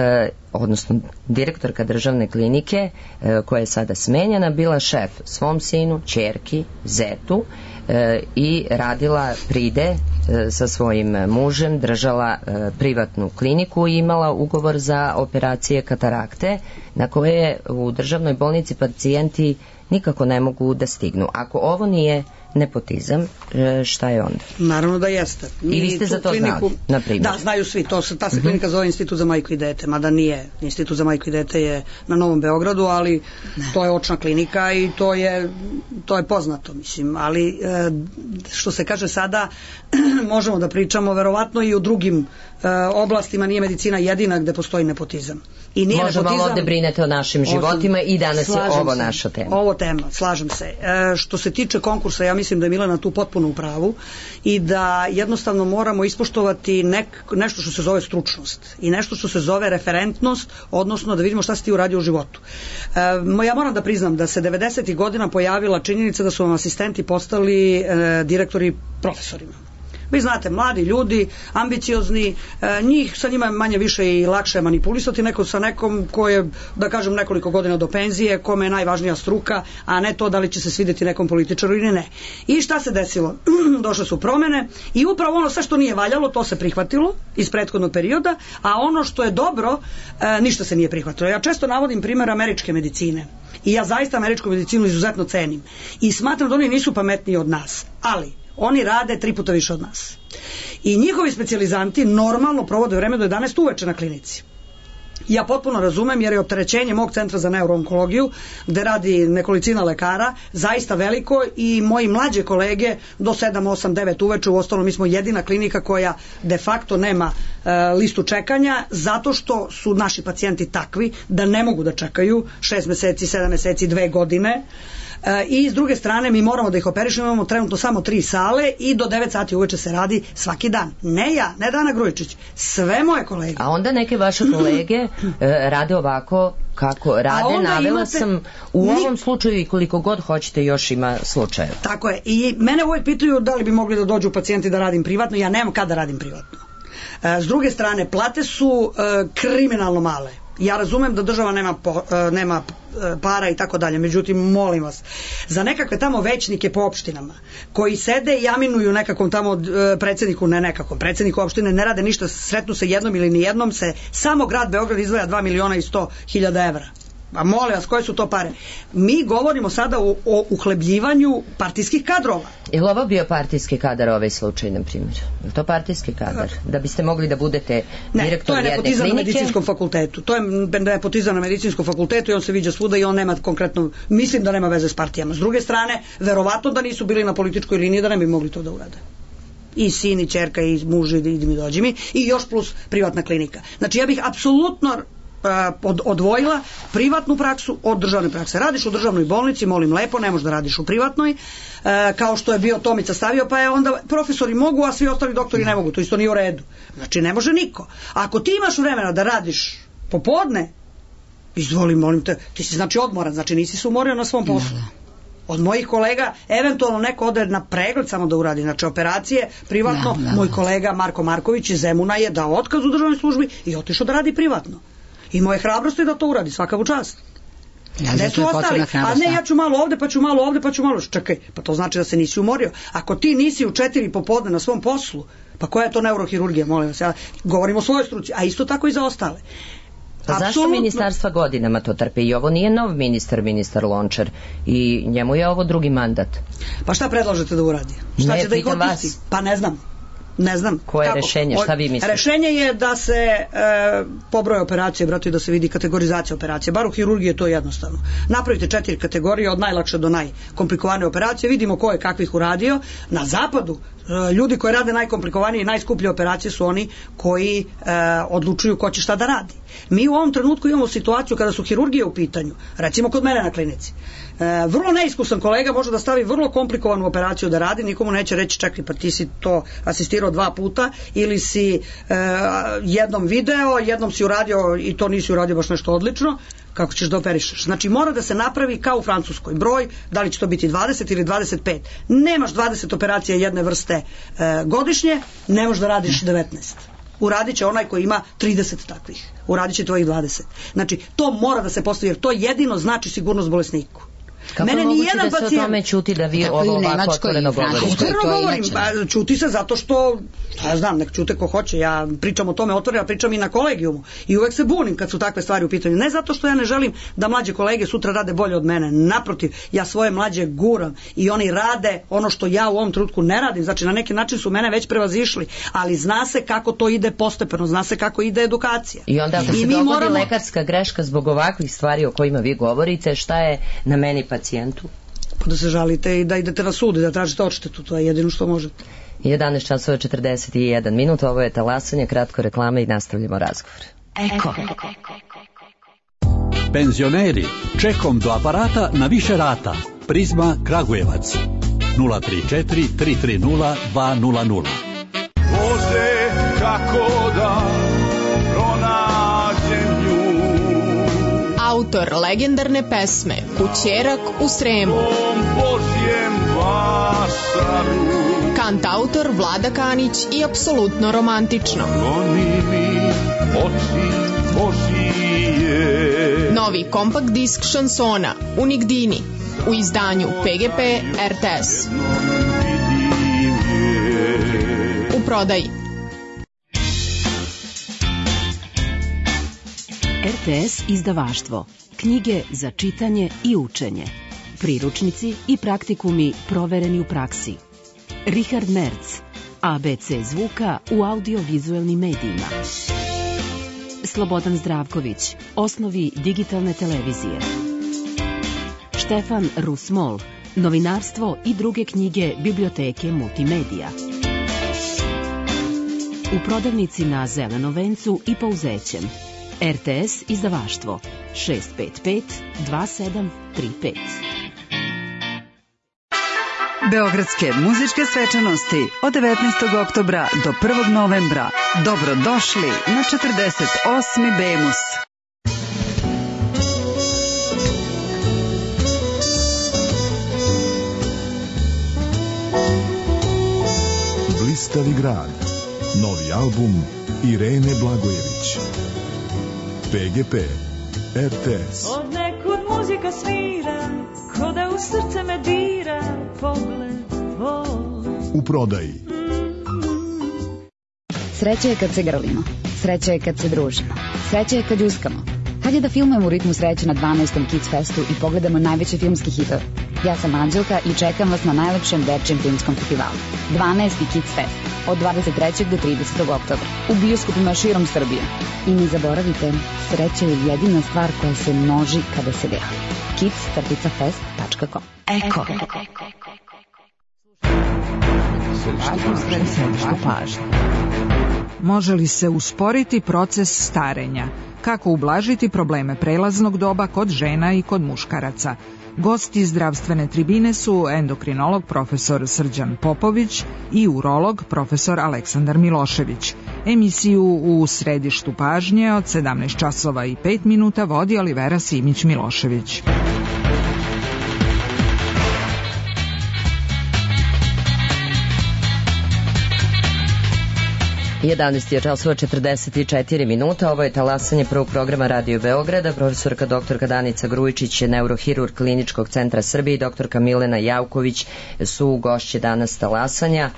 B: odnosno direktorka državne klinike uh, koja je sada smenjena bila šef svom sinu, ćerki, zetu uh, i radila pride uh, sa svojim mužem, držala uh, privatnu kliniku i imala ugovor za operacije katarakte na koje u državnoj bolnici pacijenti nikako ne mogu da stignu. Ako ovo nije nepotizam, šta je onda?
C: Naravno da jeste.
B: I vi ste za to kliniku znali, na primjer?
C: Da, znaju svi. To, ta se klinika zove Institut za majku i dete, mada nije. Institut za majku i dete je na Novom Beogradu, ali ne. To je očna klinika i to je, to je poznato, mislim. Ali što se kaže sada, možemo da pričamo verovatno i u drugim oblastima, nije medicina jedina gde postoji nepotizam. I nije
B: možemo
C: nepotizam,
B: ovde brinete o našim životima i danas je ovo
C: se,
B: naša tema.
C: Ovo tema, slažem se. E, što se tiče konkursa, ja mislim da je Milena tu potpuno u pravu i da jednostavno moramo ispoštovati nek, nešto što se zove stručnost i nešto što se zove referentnost, odnosno da vidimo šta si ti uradio u životu. E, ja moram da priznam da se devedesetih godina pojavila činjenica da su vam asistenti postali e, direktori profesorima. Vi znate, mladi ljudi, ambiciozni, e, njih sa njima je manje više i lakše manipulisati neko sa nekom ko je, da kažem, nekoliko godina do penzije, kome je najvažnija struka, a ne to da li će se svidjeti nekom političaru ili ne. I šta se desilo? Došle su promene i upravo ono sve što nije valjalo, to se prihvatilo iz prethodnog perioda, a ono što je dobro, e, ništa se nije prihvatilo. Ja često navodim primjer američke medicine i ja zaista američku medicinu izuzetno cenim i smatram da oni nisu pametniji od nas, ali oni rade tri puta više od nas. I njihovi specijalizanti normalno provode vreme do jedanaest uveče na klinici. Ja potpuno razumem jer je opterećenje mog centra za neuroonkologiju, gde radi nekolicina lekara, zaista veliko i moji mlađe kolege do sedam, osam, devet uveče, u ostalom mi smo jedina klinika koja de facto nema e, listu čekanja, zato što su naši pacijenti takvi da ne mogu da čekaju šest meseci, sedam meseci, dve godine. I s druge strane mi moramo da ih operišemo, imamo trenutno samo tri sale i do devet sati uveče se radi svaki dan. Ne ja, ne Dana Grujičić, sve moje kolege.
B: A onda neke vaše kolege e, rade ovako kako rade, navela imate, sam u ni... ovom slučaju i koliko god hoćete još ima slučaja.
C: Tako je, i mene uvijek pitaju da li bi mogli da dođu pacijenti da radim privatno, ja nemam kada radim privatno. E, s druge strane, plate su e, kriminalno male. Ja razumem da država nema, po, nema para i tako dalje, međutim, molim vas, za nekakve tamo većnike po opštinama, koji sede i aminuju nekakvom tamo predsjedniku, ne nekakvom, predsjedniku opštine ne rade ništa, sretnu se jednom ili nijednom, se samo grad Beograd izdvaja dva miliona i sto hiljada evra. A molim vas, koje su to pare? Mi govorimo sada o, o uhlebljivanju partijskih kadrova.
B: Je li ovo bio partijski kadar ovaj slučaj, na primjer? Je to partijski kadar? Da biste mogli da budete direktor jedne klinike? Ne, to je nepotizam na medicinskom fakultetu. To je nepotizam na medicinskom fakultetu i on se viđa svuda i on nema konkretno, mislim da nema veze s partijama. S druge strane, verovatno da nisu bili na političkoj liniji da ne bi mogli to da urade. I sin, i čerka, i muž, i idi mi dođi mi, i još plus privatna klinika. Znači ja bih apsolutno Od, odvojila privatnu praksu od državne prakse. Radiš u državnoj bolnici, molim lepo, ne možeš da radiš u privatnoj, e, kao što je bio Tomica stavio, pa je onda profesori mogu, a svi ostali doktori ne mogu, to isto nije u redu. Znači ne može niko. Ako ti imaš vremena da radiš popodne, izvoli, molim te, ti si znači odmoran, znači nisi se umorio na svom poslu. Od mojih kolega, eventualno neko ode na pregled samo da uradi, znači operacije, privatno, da, da, moj kolega Marko Marković iz Zemuna je dao otkaz u državnoj službi i otišao da radi privatno. I moje hrabrosti da to uradi, svaka u čast.
D: Ja, ne su ostali,
C: a ne ja ću malo ovde, pa ću malo ovde, pa ću malo, čekaj, pa to znači da se nisi umorio. Ako ti nisi u četiri popodne na svom poslu, pa koja je to neurohirurgija, molim vas, ja govorim o svojoj struci, a isto tako i za ostale.
B: Pa zašto Absolutno... ministarstva godinama to trpe? I ovo nije nov ministar, ministar Lončar, i njemu je ovo drugi mandat.
C: Pa šta predlažete da uradi? Šta
B: ne,
C: će da ih otpusti? Pa ne znam. Ne znam.
B: Koje je rešenje? Šta vi mislite?
C: Rešenje je da se e, pobroje operacije, brate, da se vidi kategorizacija operacije. Bar u hirurgiji je to jednostavno. Napravite četiri kategorije od najlakše do najkomplikovanije operacije, vidimo ko je kakvih uradio. Na zapadu e, ljudi koji rade najkomplikovanije i najskuplje operacije su oni koji e, odlučuju ko će šta da radi. Mi u ovom trenutku imamo situaciju kada su hirurgije u pitanju, recimo kod mene na klinici. E, vrlo neiskusan kolega može da stavi vrlo komplikovanu operaciju da radi, nikomu neće reći čekaj pa ti si to asistirao dva puta ili si e, jednom video, jednom si uradio i to nisi uradio baš nešto odlično, kako ćeš da operišeš. Znači mora da se napravi kao u Francuskoj broj, da li će to biti dvadeset ili dvadeset pet. Nemaš dvadeset operacija jedne vrste e, godišnje, ne možeš da radiš devetnaest. Uradit će onaj koji ima trideset takvih. Uradit će tvojih dvadeset. Znači to mora da se postavi jer to jedino znači sigurnost bolesniku.
B: Kako mene moguće da se pacijent... o tome čuti da vi ovo ovako otvoreno govorite?
C: Otvoreno govorim, čuti se zato što, ja znam, nek čute ko hoće, ja pričam o tome otvoreno, ja pričam i na kolegijumu i uvek se bunim kad su takve stvari u pitanju. Ne zato što ja ne želim da mlađe kolege sutra rade bolje od mene, naprotiv, ja svoje mlađe guram i oni rade ono što ja u ovom trenutku ne radim, znači na neki način su mene već prevazišli, ali zna se kako to ide postepeno, zna se kako ide edukacija.
B: I onda ako
C: I
B: se dogodi
C: moramo...
B: lekarska greška zbog ovakvih stvari o kojima vi govorite, šta je na meni pacijentu?
C: Pa da se žalite i da idete na sud i da tražite odštetu, to je jedino što možete.
B: jedanaest časova četrdeset jedan minut, ovo je talasanje, kratko reklame i nastavljamo razgovor. Eko.
F: Penzioneri, čekom do aparata na više rata. Prizma Kragujevac. nula tri četiri tri tri nula dva nula nula.
G: Bože, kako da pronađem nju.
H: Autor legendarne pesme Kućerak u Sremu. Kantautor Vlada Kanić i apsolutno romantično. Novi kompakt disk šansona Unigdini u izdanju P G P R T S. U prodaji.
I: R T S izdavaštvo. Knjige za čitanje i učenje. Priručnici i praktikumi provereni u praksi. Richard Merz. A B C zvuka u audiovizuelnim medijima. Slobodan Zdravković. Osnovi digitalne televizije. Štefan Rusmol. Novinarstvo i druge knjige biblioteke multimedija. U prodavnici na Zelenom vencu i Pauzećem. R T S izdavaštvo šest pet pet dva sedam tri pet.
J: Beogradske muzičke svečanosti od devetnaestog oktobra do prvog novembra. Dobrodošli na četrdeset osmi Bemus.
K: Blistavi grad. Novi album Irene Blagojević. P G P R T S.
L: Od nekud muzika svira, ko da u srce me dira pogled tvoj.
K: U prodaji.
M: Sreća je kad se grlimo, sreća je kad se družimo, sreća je kad uskamo. Hajde da filmujemo u ritmu sreće na dvanaestom Kids Festu i pogledamo najveće filmski hitove. Ja sam Anđelka i čekam vas na najlepšem dečijem filmskom festivalu. dvanaesti Kids Fest od dvadeset trećeg do tridesetog oktobra u bioskopima širom Srbije. I ne zaboravite, sreća je jedina stvar koja se množi kada se deli. kids fest tačka com.
I: Eko. Središte pažnje.
N: Može li se usporiti proces starenja? Kako ublažiti probleme prelaznog doba kod žena i kod muškaraca? Gosti zdravstvene tribine su endokrinolog profesor Srđan Popović i urolog profesor Aleksandar Milošević. Emisiju u središtu pažnje od sedamnaest časova i pet minuta vodi Olivera Simić-Milošević.
B: jedanaest časova četrdeset četiri minuta, ovo je talasanje prvog programa Radio Beograda. Profesorka doktorka Danica Grujičić, neurohirurg Kliničkog centra Srbije i doktorka Milena Javković su gošće danas talasanja.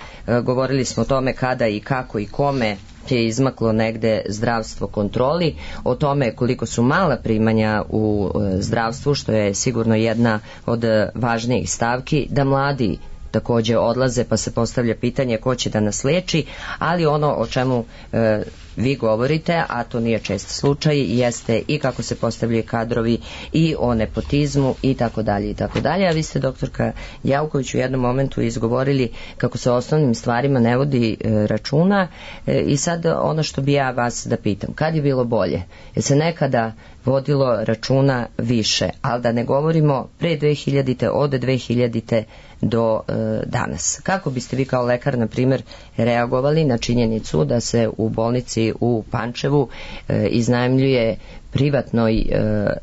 B: Govorili smo o tome kada i kako i kome je izmaklo negde zdravstvo kontroli, o tome koliko su mala primanja u zdravstvu, što je sigurno jedna od važnijih stavki, da mladi takođe odlaze, pa se postavlja pitanje ko će da nas leči, ali ono o čemu e, vi govorite, a to nije čest slučaj, jeste i kako se postavljaju kadrovi i o nepotizmu i tako dalje i tako dalje. A vi ste, doktorka Jauković, u jednom momentu izgovorili kako se o osnovnim stvarima ne vodi e, računa e, i sad ono što bi ja vas da pitam, kad je bilo bolje? Je se nekada vodilo računa više, ali da ne govorimo pre dve hiljadite, od dve hiljadite do e, danas. Kako biste vi kao lekar, na primjer, reagovali na činjenicu da se u bolnici u Pančevu e, iznajmljuje privatnoj e, e,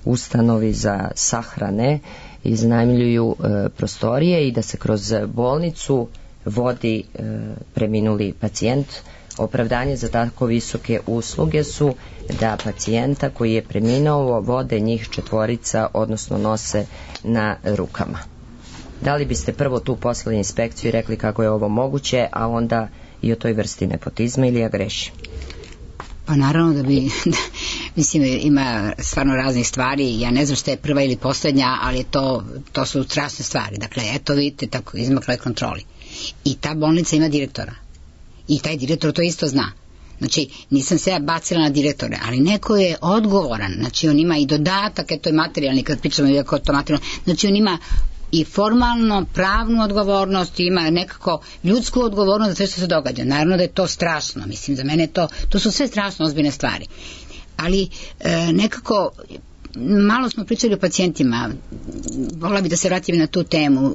B: ustanovi za sahrane, iznajmljuju e, prostorije i da se kroz bolnicu vodi e, preminuli pacijent? Opravdanje za tako visoke usluge su da pacijenta koji je preminuo vode njih četvorica, odnosno nose na rukama. Da li biste prvo tu poslali inspekciju i rekli kako je ovo moguće, a onda i o toj vrsti nepotizma, ili ja grešim?
D: Pa naravno da bi, mislim, ima stvarno raznih stvari, ja ne znam što je prva ili posljednja, ali to, to su strašne stvari. Dakle, eto vidite, tako izmakla je kontroli. I ta bolnica ima direktora. I taj direktor to isto zna. Znači, nisam se ja bacila na direktore, ali neko je odgovoran. Znači, on ima i dodatak, eto je materijalni, kad pričamo iako je to materijalno. Znači, on ima i formalno pravnu odgovornost, ima nekako ljudsku odgovornost za sve što se događa. Naravno da je to strašno, mislim, za mene to, to su sve strašno ozbiljne stvari. Ali e, nekako malo smo pričali o pacijentima, volila bi da se vratim na tu temu.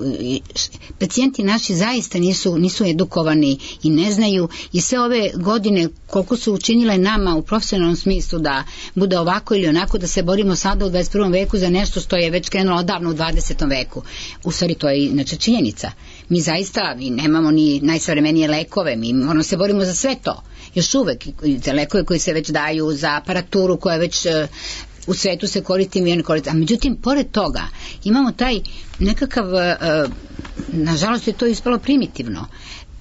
D: Pacijenti naši zaista nisu, nisu edukovani i ne znaju, i sve ove godine koliko su učinile nama u profesionalnom smislu da bude ovako ili onako, da se borimo sada u dvadeset prvom veku za nešto što je već krenulo odavno u dvadesetom veku. U stvari to je inače činjenica. Mi zaista mi nemamo ni najsavremenije lekove, mi moramo se borimo za sve to. Još uvek za lekove koji se već daju, za aparaturu koja već u svetu se koristi, mi ne koristi. A međutim, pored toga, imamo taj nekakav, uh, nažalost je to ispalo primitivno.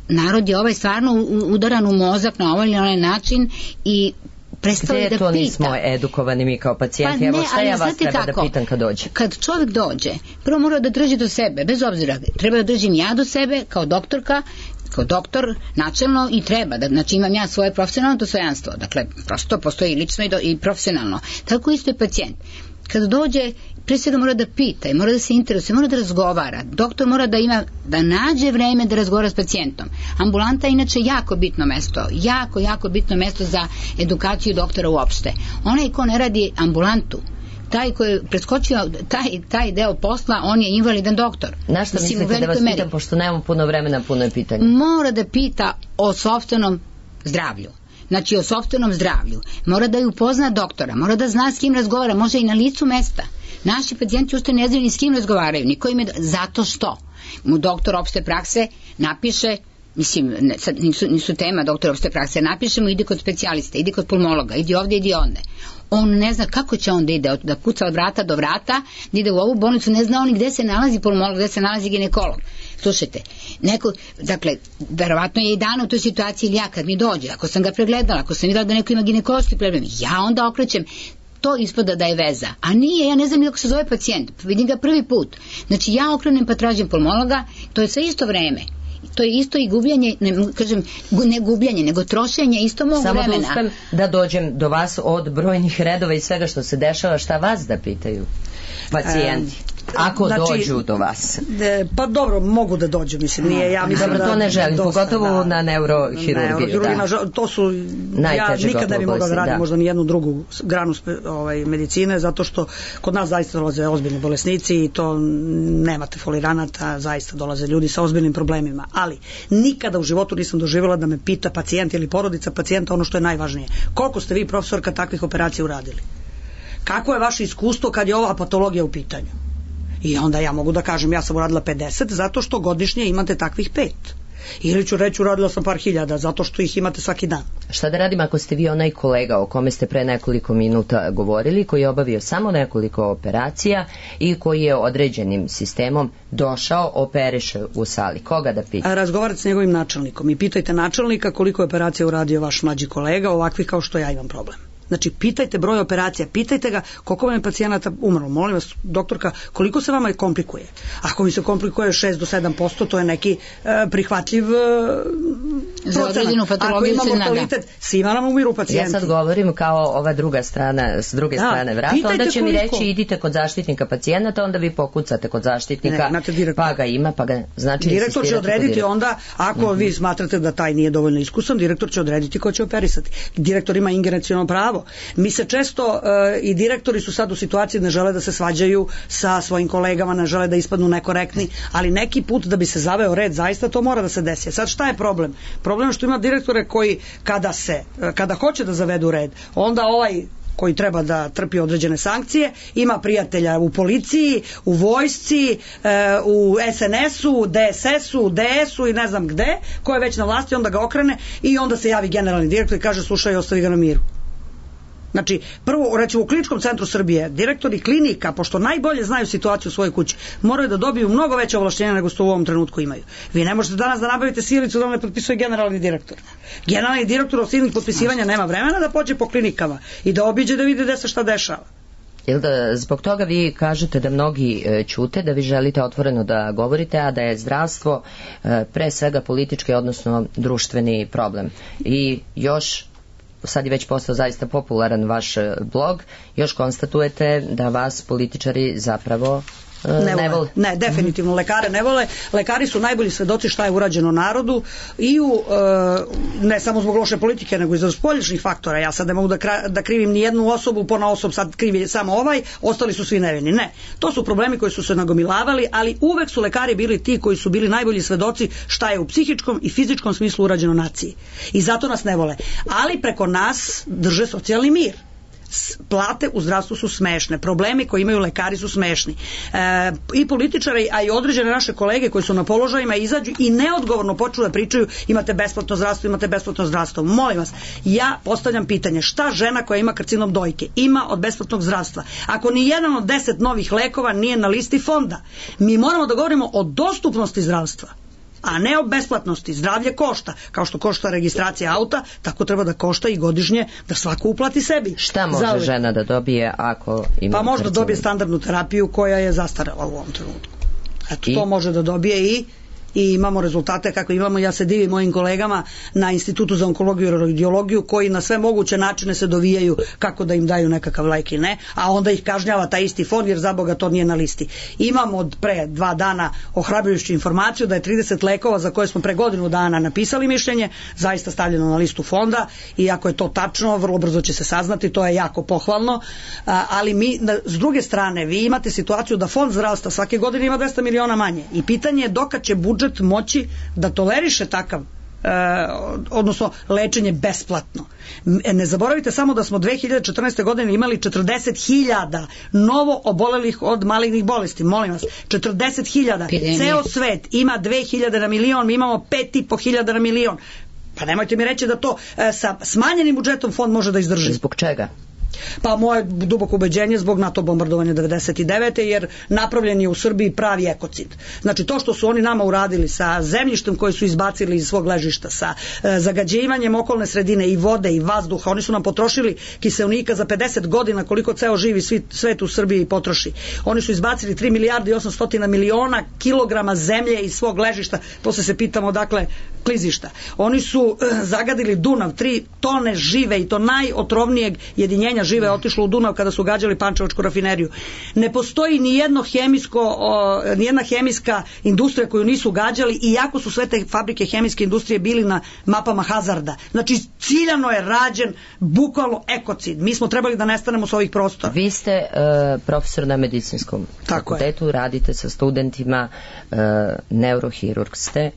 D: Narod je ovaj stvarno udaran u mozak na ovaj ili onaj način i prestali da pita. Gde to
B: nismo edukovani mi kao pacijenti? Pa evo šta ja vas treba kako? Da pitam kad dođe?
D: Kad čovjek dođe, prvo mora da drži do sebe, bez obzira, treba da držim ja do sebe kao doktorka, kao doktor načelno, i treba da, znači imam ja svoje profesionalno dostojanstvo, dakle prosto postoji lično i, do, i profesionalno, tako isto je pacijent. Kad dođe, pre svega mora da pita i mora da se interesuje, mora da razgovara, doktor mora da ima, da nađe vreme da razgovara s pacijentom. Ambulanta je inače jako bitno mesto, jako, jako bitno mesto za edukaciju doktora uopšte. Onaj ko ne radi ambulantu, taj koji je preskočio taj, taj deo posla, on je invalidan doktor.
B: Na šta mislite da vas pitam, pošto nemamo puno vremena, puno je pitanja?
D: Mora da pita o sopstvenom zdravlju. Znači o sopstvenom zdravlju. Mora da ju upozna doktora, mora da zna s kim razgovara, može i na licu mesta. Naši pacijenti ušte ne znaju ni s kim razgovaraju, niko im je, zato što mu doktor opšte prakse napiše, mislim, ne, sad nisu, nisu tema doktor opšte prakse, napiše mu idi kod specijalista, idi kod pulmologa, idi ovde, idi onde. On ne zna kako će on da ide, da kuca od vrata do vrata, da ide u ovu bolnicu, ne zna on gde se nalazi pulmolog, gde se nalazi ginekolog. Slušajte, neko, dakle, verovatno je i dana u toj situaciji, ili ja kad mi dođe, ako sam ga pregledala, ako sam videla da neko ima ginekološki problem, ja onda okrećem, to ispada da je veza. A nije, ja ne znam kako se zove pacijent, vidim ga prvi put. Znači ja okrenem pa tražim pulmologa, to je sve isto vreme. To je isto i gubljenje, ne, kažem, ne gubljenje, nego trošenje isto mog
B: Samo
D: vremena.
B: Samo da uspem da dođem do vas od brojnih redova i svega što se dešava, šta vas da pitaju pacijenti? Ako znači, dođu do vas.
C: De, pa dobro, mogu da dođu, mislim, nije, ja mislim
B: dobro,
C: da...
B: to ne želim, dosta, pogotovo da, na neurohirurgiju.
C: Na da. To su, najteže, ja nikad ne bi mogla da radim da. možda ni jednu drugu granu ovaj, medicine, zato što kod nas zaista dolaze ozbiljni bolesnici i to nemate foliranata, zaista dolaze ljudi sa ozbiljnim problemima, ali nikada u životu nisam doživjela da me pita pacijent ili porodica pacijenta ono što je najvažnije. Koliko ste vi, profesorka, takvih operacija uradili? Kako je vaše iskustvo kad je ova patologija u pitanju? I onda ja mogu da kažem, ja sam uradila pedeset zato što godišnje imate takvih pet. Ili ću reći, uradila sam par hiljada zato što ih imate svaki dan.
B: Šta da radim ako ste vi onaj kolega o kome ste pre nekoliko minuta govorili, koji je obavio samo nekoliko operacija i koji je određenim sistemom došao, operiše u sali? Koga da pita?
C: Razgovarate s njegovim načelnikom i pitajte načelnika koliko je operacija uradio vaš mlađi kolega, ovakvi kao što ja imam problem. Znači, pitajte broj operacija, pitajte ga koliko vam je pacijenata umrlo. Molim vas, doktorka, koliko se vama komplikuje? Ako mi se komplikuje šest do sedam posto, to je neki e, prihvatljiv e,
D: za određenu patologiju.
C: Ako ima mortalitet, svima nam umiru pacijenti.
B: Ja sad govorim kao ova druga strana, s druge da, strane vrata, onda će koliko. mi reći idite kod zaštitnika pacijenata, onda vi pokucate kod zaštitnika, ne, pa ga ima, pa ga znači
C: direktor će odrediti onda, ako mm-hmm. vi smatrate da taj nije dovoljno iskusan, direktor će odrediti ko će operisati. Direktor ima ingerenciono pravo. Mi se često uh, i direktori su sad u situaciji, ne žele da se svađaju sa svojim kolegama, ne žele da ispadnu nekorektni, ali neki put da bi se zaveo red, zaista to mora da se desi. Sad šta je problem? Problem je što ima direktore koji kada se, kada hoće da zavedu red, onda ovaj koji treba da trpi određene sankcije, ima prijatelja u policiji, u vojsci, u es en esu, u de es esu, u de esu i ne znam gde, ko je već na vlasti, onda ga okrene i onda se javi generalni direktor i kaže slušaj, ostavi ga na miru. Znači, prvo, recimo u Kliničkom centru Srbije, direktori klinika, pošto najbolje znaju situaciju u svojoj kući, moraju da dobiju mnogo veće ovlašćenja nego što u ovom trenutku imaju. Vi ne možete danas da nabavite silicu da vam ne potpisuje generalni direktor. Generalni direktor od silnih potpisivanja nema vremena da pođe po klinikama i da obiđe da vidi gde se šta dešava.
B: Jel da zbog toga vi kažete da mnogi e, ćute, da vi želite otvoreno da govorite, a da je zdravstvo e, pre svega politički, odnosno društveni problem. I još sad je već postao zaista popularan vaš blog, još konstatujete da vas političari zapravo e, ne, ne vole.
C: Ne, definitivno lekare ne vole. Lekari su najbolji svedoci šta je urađeno narodu i u, e, ne samo zbog loše politike, nego i za spolječnih faktora. Ja sad ne mogu da, kra, da krivim ni jednu osobu, pona osob sad krivi samo ovaj, ostali su svi nevini. Ne, to su problemi koji su se nagomilavali, ali uvek su lekari bili ti koji su bili najbolji svedoci šta je u psihičkom i fizičkom smislu urađeno naciji. I zato nas ne vole. Ali preko nas drže socijalni mir. Plate u zdravstvu su smešne, problemi koje imaju lekari su smešni. E, i političari, a i određene naše kolege koji su na položajima izađu i neodgovorno počnu da pričaju imate besplatno zdravstvo, imate besplatno zdravstvo. Molim vas, ja postavljam pitanje, šta žena koja ima karcinom dojke ima od besplatnog zdravstva? Ako ni jedan od deset novih lekova nije na listi fonda, mi moramo da govorimo o dostupnosti zdravstva, a ne o besplatnosti. Zdravlje košta, kao što košta registracija auta, tako treba da košta i godišnje da svako uplati sebi.
B: Šta može Zauvijek. žena da dobije ako ima
C: Pa možda
B: karcinom?
C: Dobije standardnu terapiju koja je zastarela u ovom trenutku. Eto, I? to može da dobije i i imamo rezultate kako imamo. Ja se divim mojim kolegama na Institutu za onkologiju i radiologiju koji na sve moguće načine se dovijaju kako da im daju nekakav lek i ne, a onda ih kažnjava taj isti fond jer za Boga to nije na listi. Imamo od pre dva dana ohrabrujuću informaciju da je trideset lekova za koje smo pre godinu dana napisali mišljenje zaista stavljeno na listu fonda i ako je to tačno, vrlo brzo će se saznati, to je jako pohvalno, ali mi, s druge strane, vi imate situaciju da fond zdravstva svake godine ima dvesta miliona manje i pitanje je dokad će budžet moći da toleriše takav E, odnosno lečenje besplatno. Ne zaboravite samo da smo dve hiljade četrnaeste. godine imali četrdeset hiljada novo obolelih od malignih bolesti. Molim vas, četrdeset hiljada. Ceo svet ima dve hiljade na milion, mi imamo pet i po hiljada na milion. Pa nemojte mi reći da to e, sa smanjenim budžetom fond može da izdrži.
B: Zbog čega?
C: Pa moje duboko ubeđenje zbog NATO bombardovanja devedeset devete. jer napravljen je u Srbiji pravi ekocid. Znači to što su oni nama uradili sa zemljištem koje su izbacili iz svog ležišta, sa e, zagađivanjem okolne sredine i vode i vazduha, oni su nam potrošili kiseonika za pedeset godina koliko ceo živi svi, svet u Srbiji potroši. Oni su izbacili tri milijarde i osamsto miliona kilograma zemlje iz svog ležišta, posle se pitamo dakle klizišta. Oni su e, zagadili Dunav, tri tone žive i to najotrovnijeg jedinjenja žive je otišlo u Dunav kada su gađali Pančevačku rafineriju. Ne postoji ni jedno hemijsko, o, ni jedna hemijska industrija koju nisu gađali, iako su sve te fabrike hemijske industrije bili na mapama hazarda. Znači ciljano je rađen bukvalno ekocid. Mi smo trebali da nestanemo s ovih prostora.
B: Vi ste uh, profesor na medicinskom fakultetu, radite sa studentima, uh, neurohirurg ste,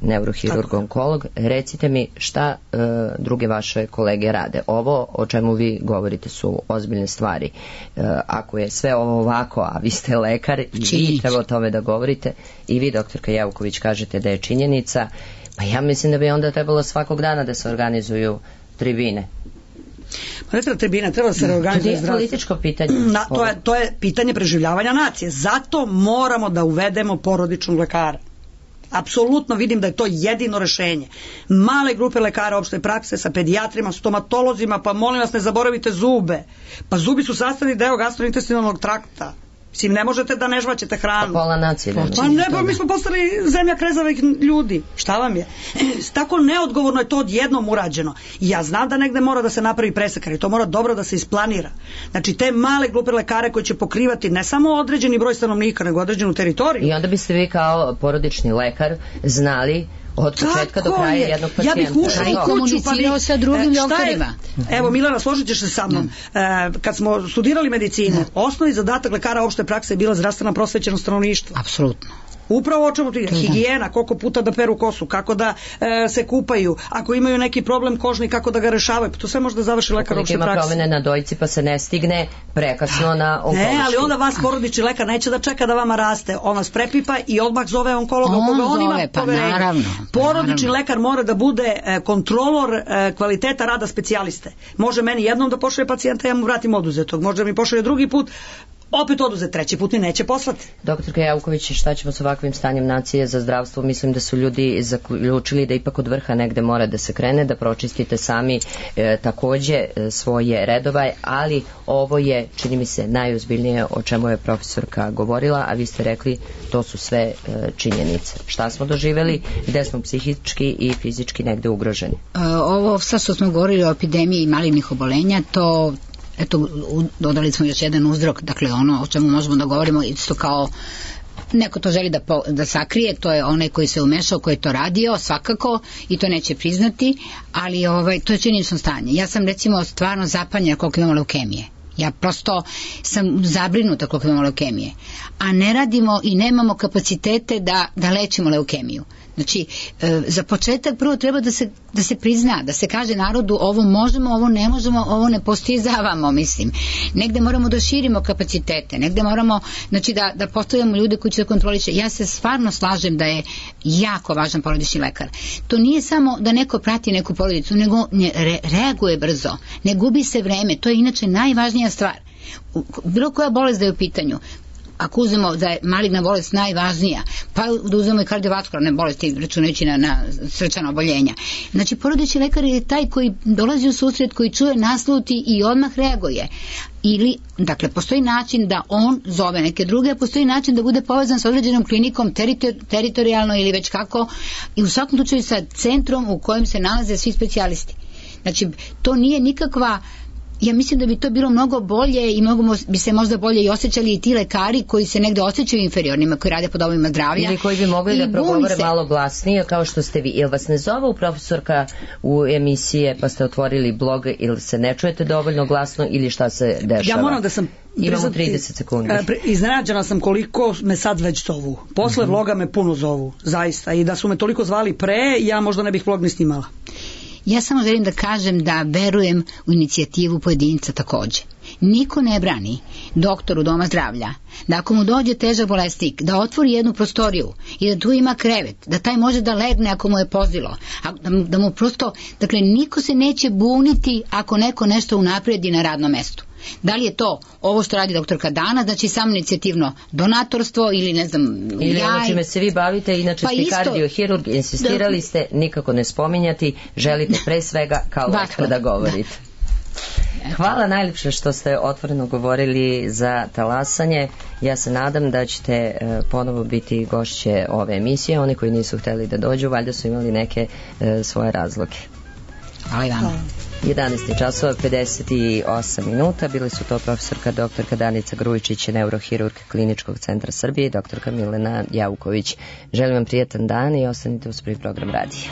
B: neurohirurg, onkolog. Recite mi šta e, druge vaše kolege rade. Ovo o čemu vi govorite su ozbiljne stvari. E, ako je sve ovo ovako, a vi ste lekar i vi treba o tome da govorite i vi, doktorka Jevković, kažete da je činjenica, pa ja mislim da bi onda trebalo svakog dana da se organizuju tribine.
C: Pa ne treba tribine, treba da se reorganizuje zdravstvo.
B: To je političko pitanje.
C: Na, to, je, to je pitanje preživljavanja nacije. Zato moramo da uvedemo porodičnog lekara. Apsolutno vidim da je to jedino rešenje. Male grupe lekara opšte prakse sa pedijatrima, stomatolozima, pa molim vas ne zaboravite zube. Pa zubi su sastavni deo gastrointestinalnog trakta. Mislim, ne možete da ne žvaćete hranu.
B: Pa pola nacije.
C: Pa ne, pa mi smo postali zemlja krezavih ljudi. Šta vam je? Tako neodgovorno je to odjednom urađeno. Ja znam da negde mora da se napravi presek, ali to mora dobro da se isplanira. Znači, te male grupe lekare koje će pokrivati ne samo određeni broj stanovnika, nego određenu teritoriju.
B: I onda biste vi kao porodični lekar znali od početka do kraja jednog pacijenta.
C: Ja bih ušla u kuću pa bih...
D: sa drugim doktorima.
C: Evo, Milana, složit ćeš se sa mnom. E, kad smo studirali medicinu, osnovni zadatak lekara opšte prakse je bila zdravstvena prosvećenost stanovništva.
D: Apsolutno.
C: Upravo o čemu ti higijena, koliko puta da peru kosu, kako da e, se kupaju, ako imaju neki problem kožni, kako da ga rešavaju. To sve može da završi lekar opšte prakse.
B: Ima promene na dojci pa se ne stigne prekasno na onkološki.
C: Ne, ali onda vas porodični lekar neće da čeka da vama raste. On vas prepipa i odmah zove onkologa on koga on ima
D: pa
C: poverenje.
D: Naravno, pa
C: porodični
D: naravno.
C: lekar mora da bude e, kontrolor e, kvaliteta rada specijaliste. Može meni jednom da pošalje pacijenta, ja mu vratim oduzetog. Može mi pošalje drugi put, opet oduzet, treći put mi neće poslati.
B: Doktorka Jauković, šta ćemo s ovakvim stanjem nacije za zdravstvo? Mislim da su ljudi zaključili da ipak od vrha negde mora da se krene, da pročistite sami e, takođe e, svoje redova, ali ovo je, čini mi se, najozbiljnije o čemu je profesorka govorila, a vi ste rekli to su sve e, činjenice. Šta smo doživeli, gde smo psihički i fizički negde ugroženi?
D: E, ovo sad što smo govorili o epidemiji malignih obolenja, to eto, dodali smo još jedan uzrok, dakle ono o čemu možemo da govorimo isto kao neko to želi da, po, da sakrije, to je onaj koji se umešao, koji je to radio, svakako, i to neće priznati, ali ovaj, to je činjenično stanje. Ja sam recimo stvarno zapanjena koliko imamo leukemije. Ja prosto sam zabrinuta koliko imamo leukemije. A ne radimo i nemamo kapacitete da, da lečimo leukemiju. Znači, e, za početak prvo treba da se, da se prizna, da se kaže narodu ovo možemo, ovo ne možemo, ovo ne postizavamo, mislim. Negde moramo da širimo kapacitete, negde moramo, znači, da, da postavljamo ljude koji će da kontroliše. Ja se stvarno slažem da je jako važan porodični lekar. To nije samo da neko prati neku porodicu, nego ne, re, reaguje brzo, ne gubi se vreme, to je inače najvažnija stvar. Bilo koja bolest da je u pitanju, ako uzmemo da je maligna bolest najvažnija, pa da uzmemo i kardiovaskularne bolesti, računajući na, na srčana oboljenja. Znači, porodični lekar je taj koji dolazi u susret, koji čuje, nasluti i odmah reaguje. Ili, dakle, postoji način da on zove neke druge, postoji način da bude povezan sa određenom klinikom teritor, teritorijalno ili već kako, i u svakom slučaju sa centrom u kojem se nalaze svi specijalisti. Znači, to nije nikakva... Ja mislim da bi to bilo mnogo bolje i mnogo bi se možda bolje i osjećali i ti lekari koji se negde osjećaju inferiornima, koji rade po domovima zdravlja.
B: Ili koji bi mogli da progovore se... malo glasnije, kao što ste vi. Jel vas ne zovu profesorka u emisije pa ste otvorili blog, ili se ne čujete dovoljno glasno, ili šta se dešava?
C: Ja moram da sam...
B: Imamo trideset sekundi.
C: Iznenađena sam koliko me sad već zovu. Posle mm-hmm. vloga me puno zovu, zaista. I da su me toliko zvali pre, ja možda ne bih vlog ni snimala.
D: Ja samo želim da kažem da verujem u inicijativu pojedinca takođe. Niko ne brani doktoru doma zdravlja da ako mu dođe težak bolesnik, da otvori jednu prostoriju i da tu ima krevet, da taj može da legne ako mu je pozilo, a da mu, da mu prosto, dakle, niko se neće buniti ako neko nešto unapredi na radnom mestu. Da li je to ovo što radi doktorka Dana, znači samo inicijativno donatorstvo ili ne znam...
B: Ili jaj... ono čime se vi bavite, inače pa ste kardiohirurg, insistirali da... ste nikako ne spominjati, želite pre svega kao lekar da govorite. Da. Hvala najljepše što ste otvoreno govorili za talasanje. Ja se nadam da ćete ponovo biti gošće ove emisije. Oni koji nisu hteli da dođu, valjda su imali neke svoje razloge.
D: Hvala i vama.
B: jedanaest časova pedeset osam minuta. Bili su to profesorka doktorka Danica Grujičić, neurohirurg Kliničkog centra Srbije, i doktorka Milena Jauković. Želim vam prijatan dan i ostanite uz prvi program radija.